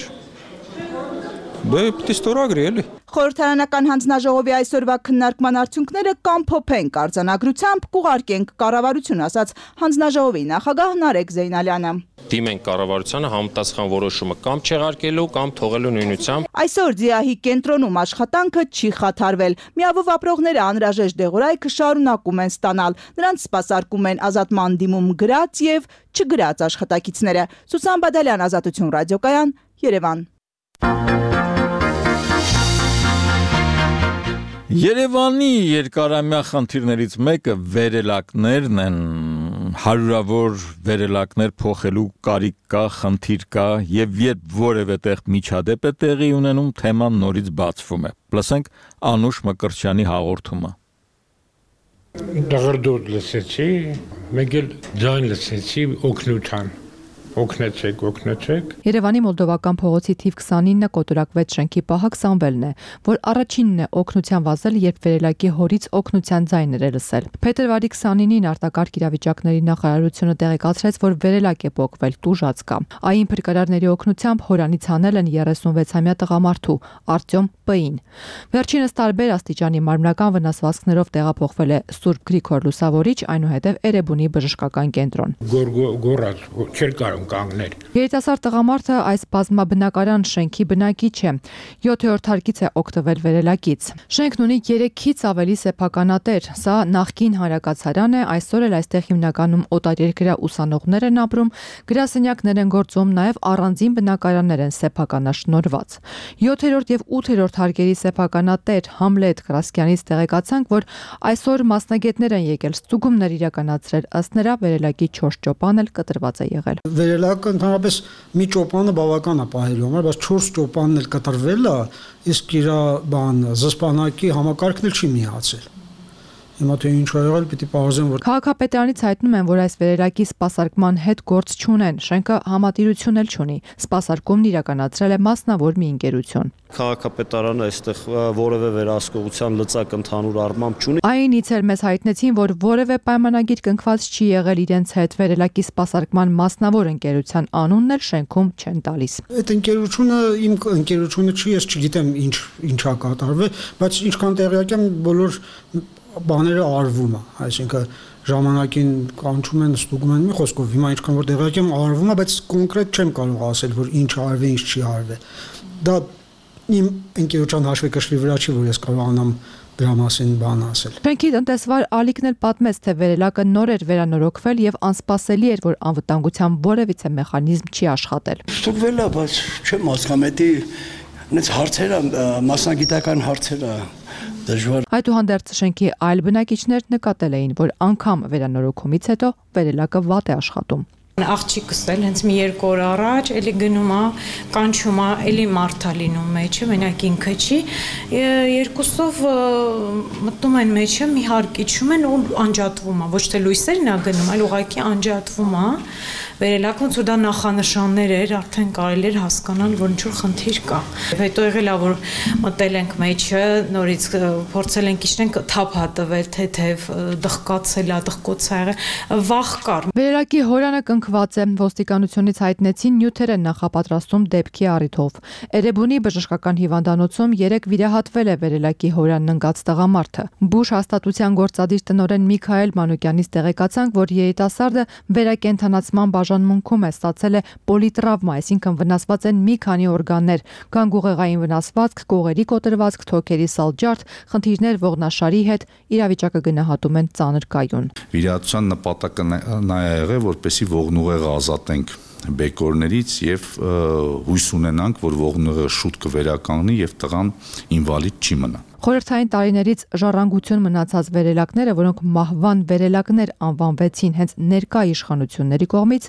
Դե պիտի ստորագրի էլի։ Խորհրդարանական հանձնաժողովի այսօրվա քննարկման արդյունքները կամփոփենք արձանագրությամբ կուղարկենք կառավարություն, ասաց հանձնաժողովի նախագահ Նարեկ Զեյնալյանը։ Դիմենք կառավարությանը համապատասխան որոշումը կամ չեղարկելու կամ թողելու նույնությամբ։ Այսօր ՁԻԱՀ-ի կենտրոնում աշխատանքը չի խաթարվել։ Միավով ապրողները անհրաժեշտ դեղորայքը շարունակում են ստանալ։ Նրանց սպասարկում են ազատման դիմում գրած եւ չգրած աշխատակիցները։ Սուսան Բադալյան, Ազատություն ռադիոկայան, Երևան։ Երևանի երկարամյա խնդիրներից մեկը վերելակներն են, հարյուրավոր վերելակներ փոխելու կարիք կա, խնդիր կա եւ երբ որևէ տեղ միջադեպ է տեղի ունենում, թեման նորից բացվում է։ Լսենք Անուշ Մկրտչյանի հաղորդումը։ Դղրդոտ լսեցի, մեկ էլ ձայն լսեցի օգնության։ Օգնեցեք։ Երևանի Մոլդովական փողոցի թիվ 29 կոտորակվեց շենքի պահակ Սամվելն է, որ առաջինն է օգնության վազել, երբ վերելակի հորից օգնության ձայներ է լսել։ Փետրվարի 29-ին արտակարգ իրավիճակների նախարարությունը տեղեկացրեց, որ վերելակ է փոկվել, տուժած կա։ Այն փրկարարների օգնությամբ հորանից հանել են 36-ամյա տղամարդու Արտյոմ П-ին։ Վերջինս տարբեր աստիճանի մարմնական վնասվածքներով տեղափոխվել է Սուրբ Գրիգոր Լուսավորիչ, այնուհետև Էրեբունի բժշկական կենտրոն։ Գորած, չեր կարող կանգնել։ Երիտասարդ տղամարդը այս բազմաբնակարան շենքի բնակիչ է։ 7-րդ հարկից է օգտվել վերելակից։ Շենքն ունի 3-ից ավելի սեփականատեր։ Սա նախկին հանրակացարան է, այսօր էլ այստեղ հիմնականում օտարերկրյա ուսանողներ են ապրում, գրասենյակներ են գործում, նաև առանձին բնակարաններ են սեփականաշնորհված։ 7-րդ եւ 8-րդ հարկերի սեփականատեր Համլետ Կրասկյանից տեղեկացանք, որ այսօր մասնագետներ են եկել ստուգումներ իրականացրել, ըստ նրա վերելակի 4 ճոպան էլ կտրված է եղել։ Վերելակը ընդհանրապես մի ճոպանը բավական է պահելու համար, բայց 4 ճոպանն էլ կտրվել է, իսկ իր զսպանակի համակարգն էլ չի միացել։ Հիմա թե ինչ ա եղել, պիտի պարզեն, որ Քաղաքապետարանից հայտնում են, որ այս վերելակի սպասարկման հետ գործ չունեն, շենքը համատիրություն էլ չունի։ Սպասարկումն իրականացրել է մասնավոր մի ընկերություն։ Քաղաքապետարանը այստեղ որևէ վերահսկողության լծակ ընդհանուր առմամբ չունի։ Այնից էլ մեզ հայտնեցին, որ որևէ պայմանագիր կնքված չի եղել իրենց հետ, վերելակի սպասարկման մասնավոր ընկերության անունն էլ շենքում չեն տալիս։ Այդ ընկերությունը իմ ընկերությունը չի, ես չգիտեմ ինչա կատարվել, բայց ինչքան տեղյակ եմ, բոլոր բաները արվում է, այսինքն ժամանակին կանչում են, ստուգում են, մի խոսքով հիմա ինչքան որ տեղյակ եմ արվում է, բայց կոնկրետ չեմ կարող ասել, որ ինչ արվի, ինչ չի արվել։ Դա իմ ընկերության հաշվեկշռի վրա չի, որ ես կարողանամ դրա մասին բան ասել։ Շենքի տնտեսվար Ալիկն էլ պատմեց, թե վերելակը նոր էր վերանորոգվել եւ անսպասելի էր, որ անվտանգության որևիցե մեխանիզմ չի աշխատել։ Ստուգվել է, բայց չեմ հասկանում, այնց հարցերը, մասնագիտական հարցերը դժվար։ Այդուհանդերձ շենքի այլ բնակիչներ նկատել էին, որ անգամ վերանորոգումից հետո վերելակը վատ է աշխատում։ Աղջիկս էլ հենց մի 2 օր առաջ էլի գնում է, կանչում է, էլի մարդ է լինում մեջը, մենակ ինքը չի, երկուսով մտնում են մեջը, մի հարկի չում են ու անջատվում է, ոչ թե լույսերն է գնում, այլ ուղղակի անջատվում է, վերելակ ոնց որ դա նախանշաններ էր, արդեն կարելի էր հասկանալ, որ ինչ-որ խնդիր կա։ Հետո եղել է, որ մտել ենք մեջը, նորից փորձել ենք իջնենք, թափ հատվել, թեթև, դղկացել է, դղկոց ա եղել, վախ կար։ Վերելակի հորանը կնքված է, ոստիկանությունից հայտնեցին նյութեր են նախապատրաստում դեպքի առիթով։ Էրեբունի բժշկական հիվանդանոցում 3 վիրահատվել է վերելակի հորանն ընկած տղամարդը։ Բուշ հաստատության գործադիր տնօրեն Միքայել Մանուկյանից տեղեկացանք, որ երիտասարդը վերակենդանացման բաժանմունքում է, ստացել է պոլիտրավմա, այսինքն վնասված են մի քանի օրգաններ, գանգուղեղային վնասվածք, կողերի կոտրվածք, թոքերի սալջարդ, խնդիրներ ողնաշարի հետ, իրավիճակը գնահատում են ծանր կայուն։ Վիրահատության նպատակը նա է եղել, որպեսզի ողնուղեղը ազատենք բեկորներից եւ հույս ունենանք, որ ողնուղեղը շուտ կվերականգնի եւ տղան ինվալիդ չի մնա։ Խորհրդային տարիներից ժառանգություն մնացած վերելակները, որոնք մահվան վերելակներ անվանվեցին հենց ներկա իշխանությունների կողմից,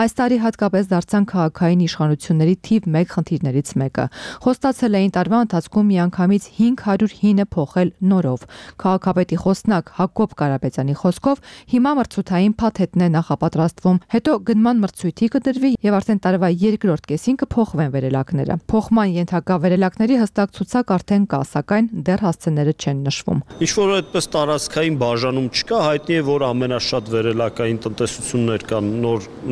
այս տարի հատկապես դարձան քաղաքային իշխանությունների թիվ 1 խնդիրներից մեկը։ Խոստացել էին տարվա ընթացքում միանգամից 500 հինը փոխել նորով։ Քաղաքապետի խոսնակ Հակոբ Կարապետյանի խոսքով հիմա մրցութային փաթեթն է նախապատրաստվում, հետո գնման մրցույթի կդրվի եւ արդեն տարվա 2-րդ կեսին կփոխվեն վերելակները։ Փոխման ենթակա վերելակների հստակ ցուցակ արդեն կա, սակայն դեռ հասցեները չեն նշվում։ Ինչ որ այդպես տարածքային բաժանում չկա, հայտնի է, որ ամենաշատ վերելակային տնտեսություններ կան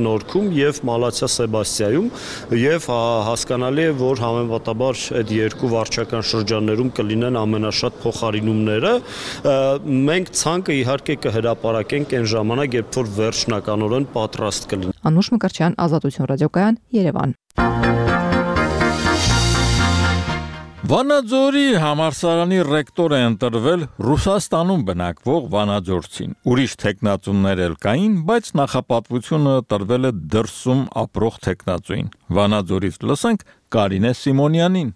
Նորքում եւ Մալացիա Սեբաստիայում եւ հասկանալի է, որ համեմատաբար այդ երկու վարչական շրջաններում կլինեն ամենաշատ փոխարինումները։ Մենք ցանկը իհարկե կհրապարակենք այն ժամանակ, երբ որ վերջնականորեն պատրաստ կլինի։ Անուշ Մկրտչյան, Ազատություն ռադիոկայան, Երևան։ Վանաձորի համալսարանի ռեկտոր է ընտրվել Ռուսաստանում բնակվող վանաձորցին։ Ուրիշ թեկնածուներ էլ կային, բայց նախապատվությունը տրվել է դրսում ապրող թեկնածուին։ Վանաձորից լսենք Կարինե Սիմոնյանին։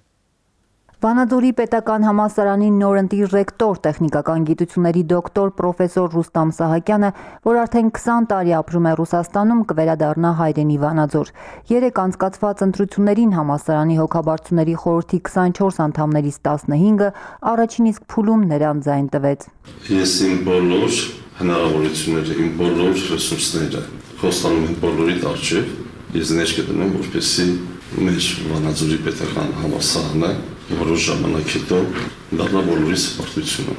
Վանաձորի պետական համալսարանի նորընտիր ռեկտոր, տեխնիկական գիտությունների դոկտոր պրոֆեսոր Ռուստամ Սահակյանը, որ արդեն 20 տարի ապրում է Ռուսաստանում, կվերադառնա հայրենի Վանաձոր։ Երեք անցկացված ընտրություններին համալսարանի հոգաբարձուների խորհրդի 24 անդամներից 15-ը առաջին իսկ փուլում նրան ձայն տվեց։ Ես իմ բոլոր հնարավորությունները, իմ բոլոր ռեսուրսները խոստանում եմ բոլորիդ առջև, ես ներք կդնեմ, որպեսզի մեր Վանաձորի պետական համալսարանը որոշ ժամանակ հետո դառնա բոլորիս պարտությունը։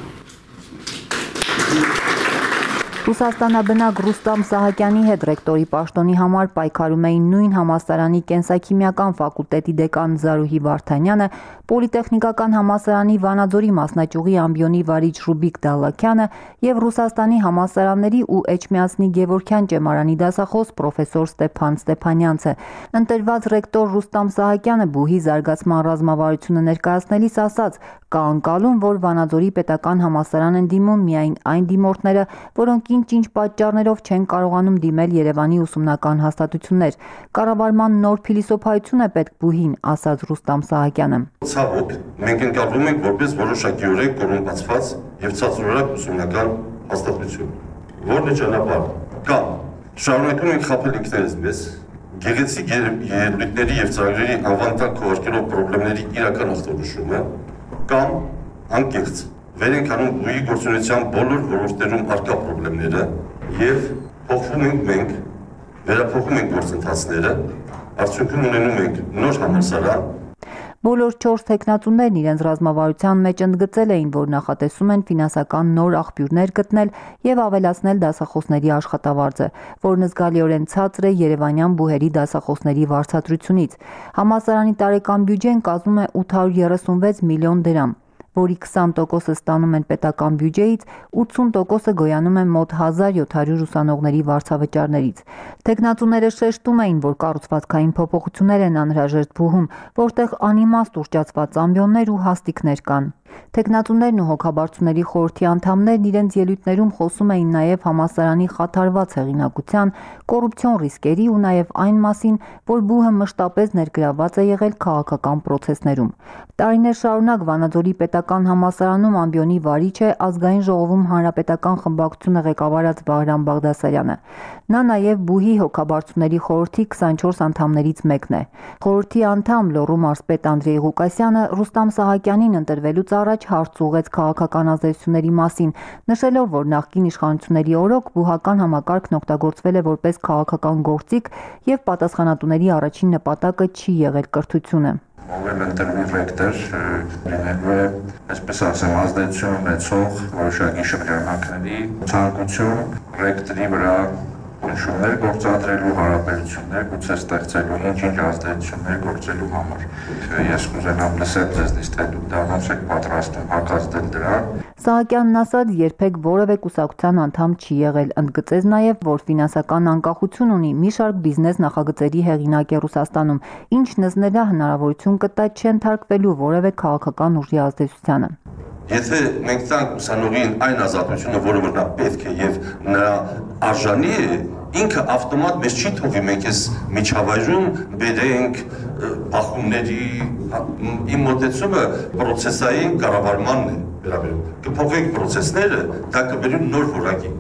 Ռուսաստանաբնակ Ռուստամ Սահակյանի հետ ռեկտորի պաշտոնի համար պայքարում էին նույն համալսարանի կենսաքիմիական ֆակուլտետի դեկան Զարուհի Վարդանյանը, Պոլիտեխնիկական համալսարանի Վանաձորի մասնաճյուղի ամբիոնի վարիչ Ռուբիկ Դալլաքյանը եւ Ռուսաստանի համալսարանների ու Էջմիածնի Գևորգյան ճեմարանի դասախոս պրոֆեսոր Ստեփան Ստեփանյանցը։ Ընտրված ռեկտոր Ռուստամ Սահակյանը բուհի զարգացման ռազմավարությունը ներկայացնելիս ասաց. «Կա անկալում, որ Վանաձորի պետական համալսարան են դիմում միայն այն դիմորդները, որոնք ինչ պատճառներով չեն կարողանում դիմել Երևանի ուսումնական հաստատություններ։ Կառավարման նոր փիլիսոփայություն է պետք բուհին», ասաց Ռուստամ Սահակյանը։ Ցավոք, մենք ընկալվում ենք որպես որոշակիորեն կոռումպացված եւ ցածրորակ ուսումնական հաստատություն, որն է ճանապարհ կամ շարունակում ենք խաբել ինքներս մեզ, գեղեցիկ ելույթների եւ ծրագրերի անվանտակ քողարկելով խնդիրների իրական ախտորոշումը, կամ անկեղծ վեր ենք անում բուհի գործունեության բոլոր ոլորտներում առկա խնդիրները եւ փոխվում ենք մենք, վերափոխում ենք գործընթացները, արդյունքում ունենում ենք նոր համալսարան։ Բոլոր 4 տեխնատուներն իրենց ռազմավարության մեջ ընդգծել էին, որ նախատեսում են ֆինանսական նոր աղբյուրներ գտնել եւ ավելացնել դասախոսների աշխատավարձը, որն զգալիորեն ցածր է երևանյան բուհերի դասախոսների վարձատրությունից։ Համալսարանի տարեկան բյուջեն կազմում է 836 միլիոն դրամ, որի 20% ստանում են պետական բյուջեից, 80% գոյանում են մոտ 1700 ուսանողների վարձավճարներից։ Տեխնատուները շեշտում էին, որ կառուցվածքային փոփոխություններ են անհրաժեշտ բուհում, որտեղ անիմաստ ուռճացված ամբիոններ ու հաստիկներ կան։ Տեխնատուներն ու հոգաբարձուների խորհրդի անդամներն իրենց ելույթներում խոսում էին նաև համալսարանի խաթարված հեղինակության, կոռուպցիոն ռիսկերի ու նաև այն մասին, որ բուհը մշտապես ներգրավված է եղել քաղաքական պրոցեսներում։ Տարիներ շարունակ Վանաձորի պետական համալսարանում ամբիոնի վարիչ է ազգային ժողովում հանրապետական խմբակցությունը ղեկավարած Վահրամ Բաղդասարյանը։ Նա նաև բուհի հոգաբարձուների խորհրդի 24 անդամներից մեկն է։ Խորհրդի անդամ Լոռու մարզպետ Անդրեյ Ղուկասյանը Ռուստամ Սահակյանին ընտրվելուց առաջ հարց ուղղեց քաղաքական ազդեցությունների մասին, նշելով, որ նախկին իշխանությունների օրոք բուհական համակարգն օգտագործվել է որպես քաղաքական գործիք եւ պատասխանատուների առաջին նպատակը չի եղել կրթությունը։ Ով ընտրվի ռեկտոր լինելու է, այսպես ասեմ, ազդեցություն ունեցող որոշակի շրջանակների ցանկություն ռեկտորի վրա նշումներ գործադրելու, հարաբերություններ գուցե ստեղծելու, ինչ-ինչ ազդեցություններ գործելու համար։ Ես կուզենամ լսել ձեզնից, թե դուք դա ոնց եք պատրաստվում հակազդել դրան։ Սահակյանն ասաց, երբեք որևէ կուսակցության անդամ չի եղել, ընդգծեց նաև, որ ֆինանսական անկախություն ունի, մի շարք բիզնես նախագծերի հեղինակ է Ռուսաստանում, ինչն նրա հնարավորություն կտա չընթարկվելու որևէ քաղաքական ուժի ազդեցությանը։ Եթե մենք տանք ուսանողին այն ազատությունը, որը որ նա պետք է եւ նրա արժանի է, ինքը ավտոմատ մեզ չի թողի մենք այս միջավայրում բերենք բախումների, իմ մոտեցումը պրոցեսային կառավարմանն է վերաբերում։ Կփոխենք պրոցեսները, դա կբերի նոր որակի։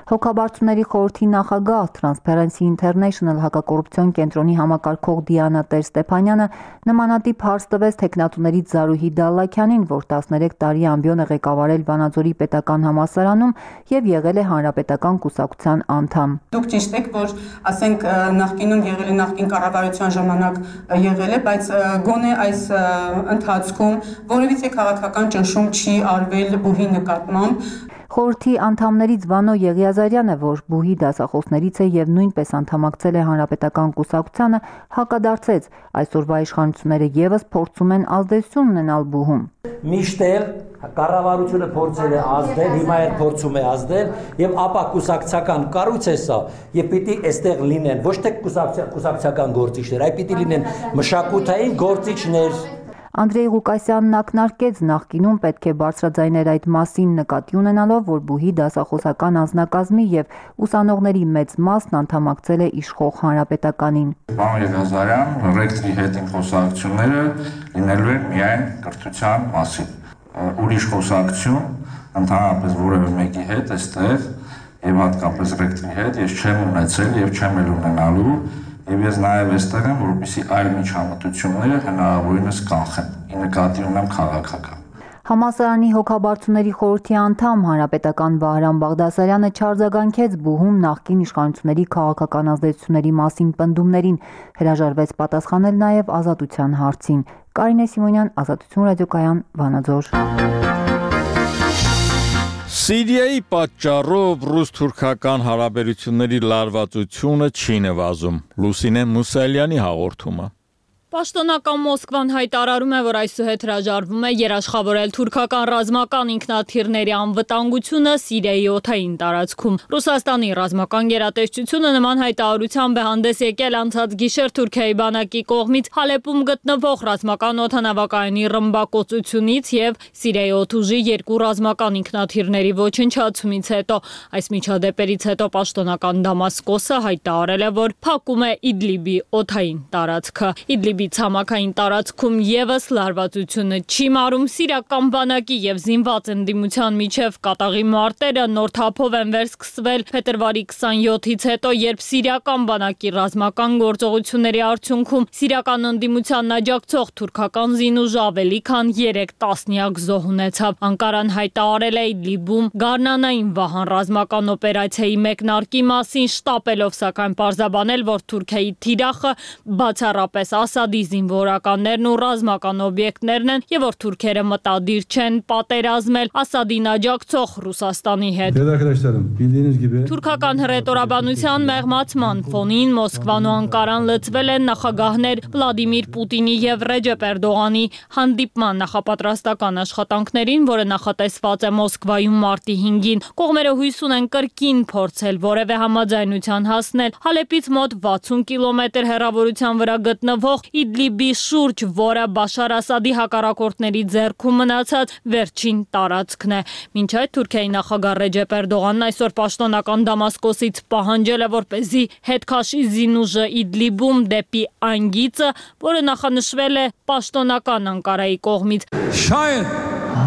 Հոգաբարձուների խորհրդի նախագահ Transparency International հակակոռուպցիոն կենտրոնի համակարգող Դիանա Տեր-Ստեփանյանը նմանատիպ հարց տվեց թեկնածուներից Զարուհի Դալլաքյանին, որ 13 տարի ամբիոն է ղեկավարել Վանաձորի պետական համալսարանում եւ եղել է հանրապետական կուսակցության անդամ։ Դուք ճիշտ եք, որ ասենք նախկինում եղել է նախկին կառավարության ժամանակ եղել է, բայց գոնե այս ընթացքում որևիցե քաղաքական ճնշում չի արվել բուհի նկատմամբ։ Խորհրդի անդամներից Վանո Եղիազարյանը, որ բուհի դասախոսներից է եւ նույնպես անդամակցել է հանրապետական կուսակցությանը, հակադարձեց այսօրվա իշխանությունները եւս փորձում են ազդեցություն ունենալ բուհում։ Միշտ էլ կառավարությունը փորձել է ազդել, հիմա էլ փորձում է ազդել եւ ապա կուսակցական կառույց է սա եւ պիտի այստեղ լինեն ոչ թե կուսակցական գործիչներ, այլ պիտի լինեն մշակութային գործիչներ։ Անդրեյ Ղուկասյանն ակնարկեց նախկինում պետք է բարձրաձայներ այդ մասին նկատի ունենալով, որ բուհի դասախոսական անձնակազմի եւ ուսանողների մեծ մասն անդամակցել է իշխող հանրապետականին։ Պարոն Եղիազարյան, ռեկտորի հետ իմ խոսակցությունները լինելու են միայն կրթության մասին։ Ուրիշ խոսակցություն ընդհանրապես որևէ մեկի հետ այստեղ եւ հատկապես ռեկտորի հետ ես չեմ ունեցել եւ չեմ էլ ունենալու։ Եվ ես նաև այստեղ եմ, որպեսզի այլ միջամտությունները հնարավորինս կանխեն, ի նկատի ունեմ քաղաքական։ Համալսարանի հոգաբարձուների խորհրդի անդամ հանրապետական Վահրամ Բաղդասարյանը չարձագանքեց բուհում նախկին իշխանությունների քաղաքական ազդեցությունների մասին պնդումներին, հրաժարվեց պատասխանել նաև ազատության հարցին։ Կարինե Սիմոնյան, Ազատություն ռադիոկայան, Վանաձոր։ Սիրիայի պատճառով ռուս-թուրքական հարաբերությունների լարվածությունը չի նվազում։ Լուսինե Մուսալյանի հաղորդումը։ Պաշտոնական Մոսկվան հայտարարում է, որ այսուհետ հրաժարվում է երաշխավորել թուրքական ռազմական ինքնաթիռների անվտանգությունը Սիրիայի օդային տարածքում։ Ռուսաստանի ռազմական գերատեսչությունը նման հայտարարությամբ է հանդես եկել անցած գիշեր Թուրքիայի բանակի կողմից Հալեպում գտնվող ռազմական օդանավակայանի ռմբակոծությունից եւ Սիրիայի օդուժի 2 ռազմական ինքնաթիռների ոչնչացումից հետո։ Այս միջադեպերից հետո պաշտոնական Դամասկոսը հայտարարել է, որ փակում է Իդլիբի օդային տարածքը։ Իդլիբի ցամաքային տարածքում եւս լարվածությունը չի մարում սիրիական բանակի եւ զինված ընդդիմության միջև կատաղի մարտերը նոր թափով են վերսկսվել փետրվարի 27-ից հետո, երբ սիրիական բանակի ռազմական գործողությունների արդյունքում սիրիական ընդդիմությանն աջակցող թուրքական զինուժը ավելի քան 3 տասնյակ զոհ ունեցավ։ Անկարան հայտարարել է Իդլիբում գարնանային վահան ռազմական օպերացիայի մեկնարկի մասին, շտապելով սակայն պարզաբանել, որ Թուրքիայի թիրախը բացառապես Ասադի զինվորականներն ու ռազմական օբյեկտներն են եւ որ թուրքերը մտադիր չեն պատերազմել Ասադին աջակցող Ռուսաստանի հետ։ Թուրքական հռետորաբանության մեղմացման ֆոնին Մոսկվան ու Անկարան լծվել են նախագահներ Վլադիմիր Պուտինի եւ Ռեջեփ Էրդողանի հանդիպման նախապատրաստական աշխատանքներին, որը նախատեսված է Մոսկվայում մարտի 5-ին։ Կողմերը հույս ունեն կրկին փորձել որևէ համաձայնության հասնել Հալեպից մոտ 60 կիլոմետր հեռավորության վրա գտնվող Իդլիբի շուրջ, որը Բաշար Ասադի հակառակորդների ձեռքում մնացած վերջին տարածքն է։ Մինչ այդ Թուրքիայի նախագահ Ռեջեփ Էրդողանն այսօր պաշտոնական Դամասկոսից պահանջել է, որպեսզի հետ քաշի զինուժը Իդլիբում դեպի այն գիծը, որը նախանշվել է պաշտոնական Անկարայի կողմից։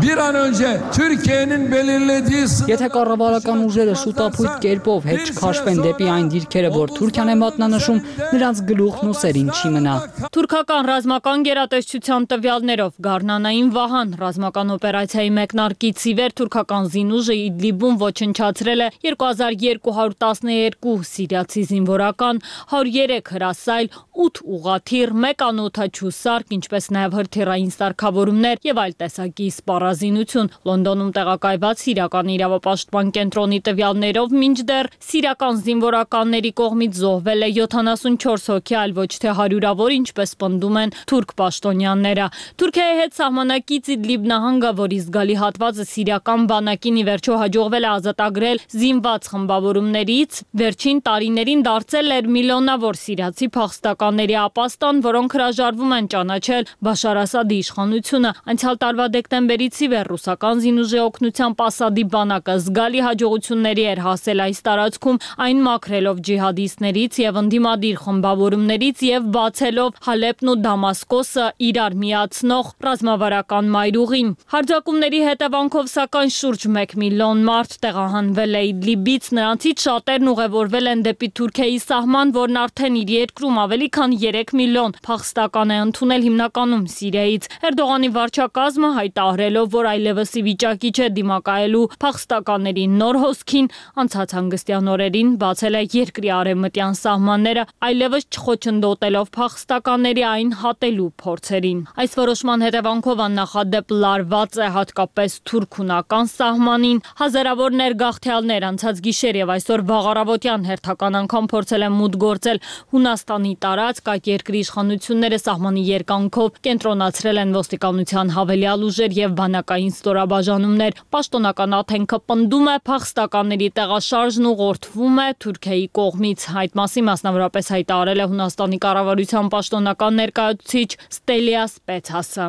Bir an önce Türkiye'nin belirlediği Եթե կառավարական ուժերը շուտապույտ կերպով հետ չքաշվեն դեպի այն դիրքերը, որ Թուրքիան է մատնանշում, նրանց գլուխն ու սերին չի մնա։ Թուրքական ռազմական գերատեսչության տվյալներով գարնանային վահան ռազմական օպերացիայի մեկնարկից ի վեր թուրքական զինուժը Իդլիբում ոչնչացրել է 2212 սիրիացի զինվորական, 103 հրասայլ, 8 ուղաթիռ, 1 անօդաչու սարք, ինչպես նաև հրթիռային սարքավորումներ եւ այլ տեսակի սպառազինություն։ Լոնդոնում տեղակայված Սիրիական իրավապաշտպան կենտրոնի տվյալներով մինչդեռ սիրիական զինվորականների կողմից զոհվել է 74 հոգի, այլ ոչ թե հարյուրավոր, ինչպես պնդում են թուրք պաշտոնյաները։ Թուրքիայի հետ սահմանակից Իդլիբ նահանգը, որի զգալի հատվածը սիրիական բանակին ի վերջո հաջողվել է ազատագրել զինված խմբավորումներից, վերջին տարիներին դարձել էր միլիոնավոր սիրիացի փախստականների ապաստան, որոնք հրաժարվում են ճանաչել Բաշար Ասադի իշխանությունը։ Անցյալ տարվա դեկտեմբերից ապրիլից ի վեր ռուսական զինուժի օգնությամբ Ասադի բանակը զգալի հաջողությունների էր հասել այս տարածքում, այն մաքրելով ջիհադիստներից եւ ընդդիմադիր խմբավորումներից եւ բացելով Հալեպն ու Դամասկոսը իրար միացնող ռազմավարական մայրուղին։ Հարձակումների հետևանքով սակայն շուրջ 1 միլիոն մարդ տեղահանվել է Իդլիբից, նրանցից շատերն ուղևորվել են դեպի Թուրքիայի սահման, որն արդեն իր երկրում ավելի քան 3 միլիոն փախստական է ընդունել հիմնականում Սիրիայից։ Էրդողանի վարչակազմը հայտարարելով, որ այլևս ի վիճակի չէ դիմակայելու փախստականների նոր հոսքին, անցած հանգստյան օրերին բացել է երկրի արևմտյան սահմանները, այլևս չխոչընդոտելով փախստականների այն հատելու փորձերին։ Այս որոշման հետևանքով աննախադեպ լարված է հատկապես թուրք-հունական սահմանին։ Հազարավոր ներգաղթյալներ անցած գիշեր եւ այսօր վաղարավոտյան հերթական անգամ փորձել են մուտք գործել Հունաստանի տարածք, այդ երկրի իշխանությունները սահմանի երկայնքով կենտրոնացրել են ոստիկանության հավելյալ ուժեր եւ բանակային ստորաբաժանումներ։ Պաշտոնական աթենքը պնդում է փախստականների տեղաշարժն ուղղորդվում է Թուրքիայի կողմից։ Այդ մասին մասնավորապես հայտարարել է Հունաստանի կառավարության պաշտոնական ներկայացուցիչ Ստելիաս Պետասը։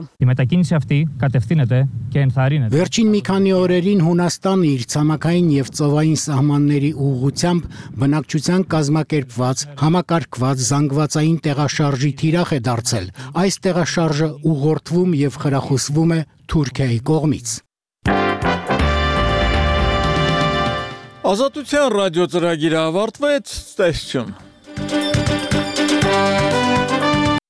Վերջին մի քանի օրերին Հունաստանը իր ցամաքային եւ ծովային սահմանների ուղղությամբ բնակչության կազմակերպված, համակարգված զանգվածային տեղաշարժի թիրախ է դարձել։ Այս տեղաշարժը ուղղորդվում եւ խրախուսվում է Թուրքիայի կողմից։ Ազատության ռադիո ծրագիրը ավարտվեց, տեսություն։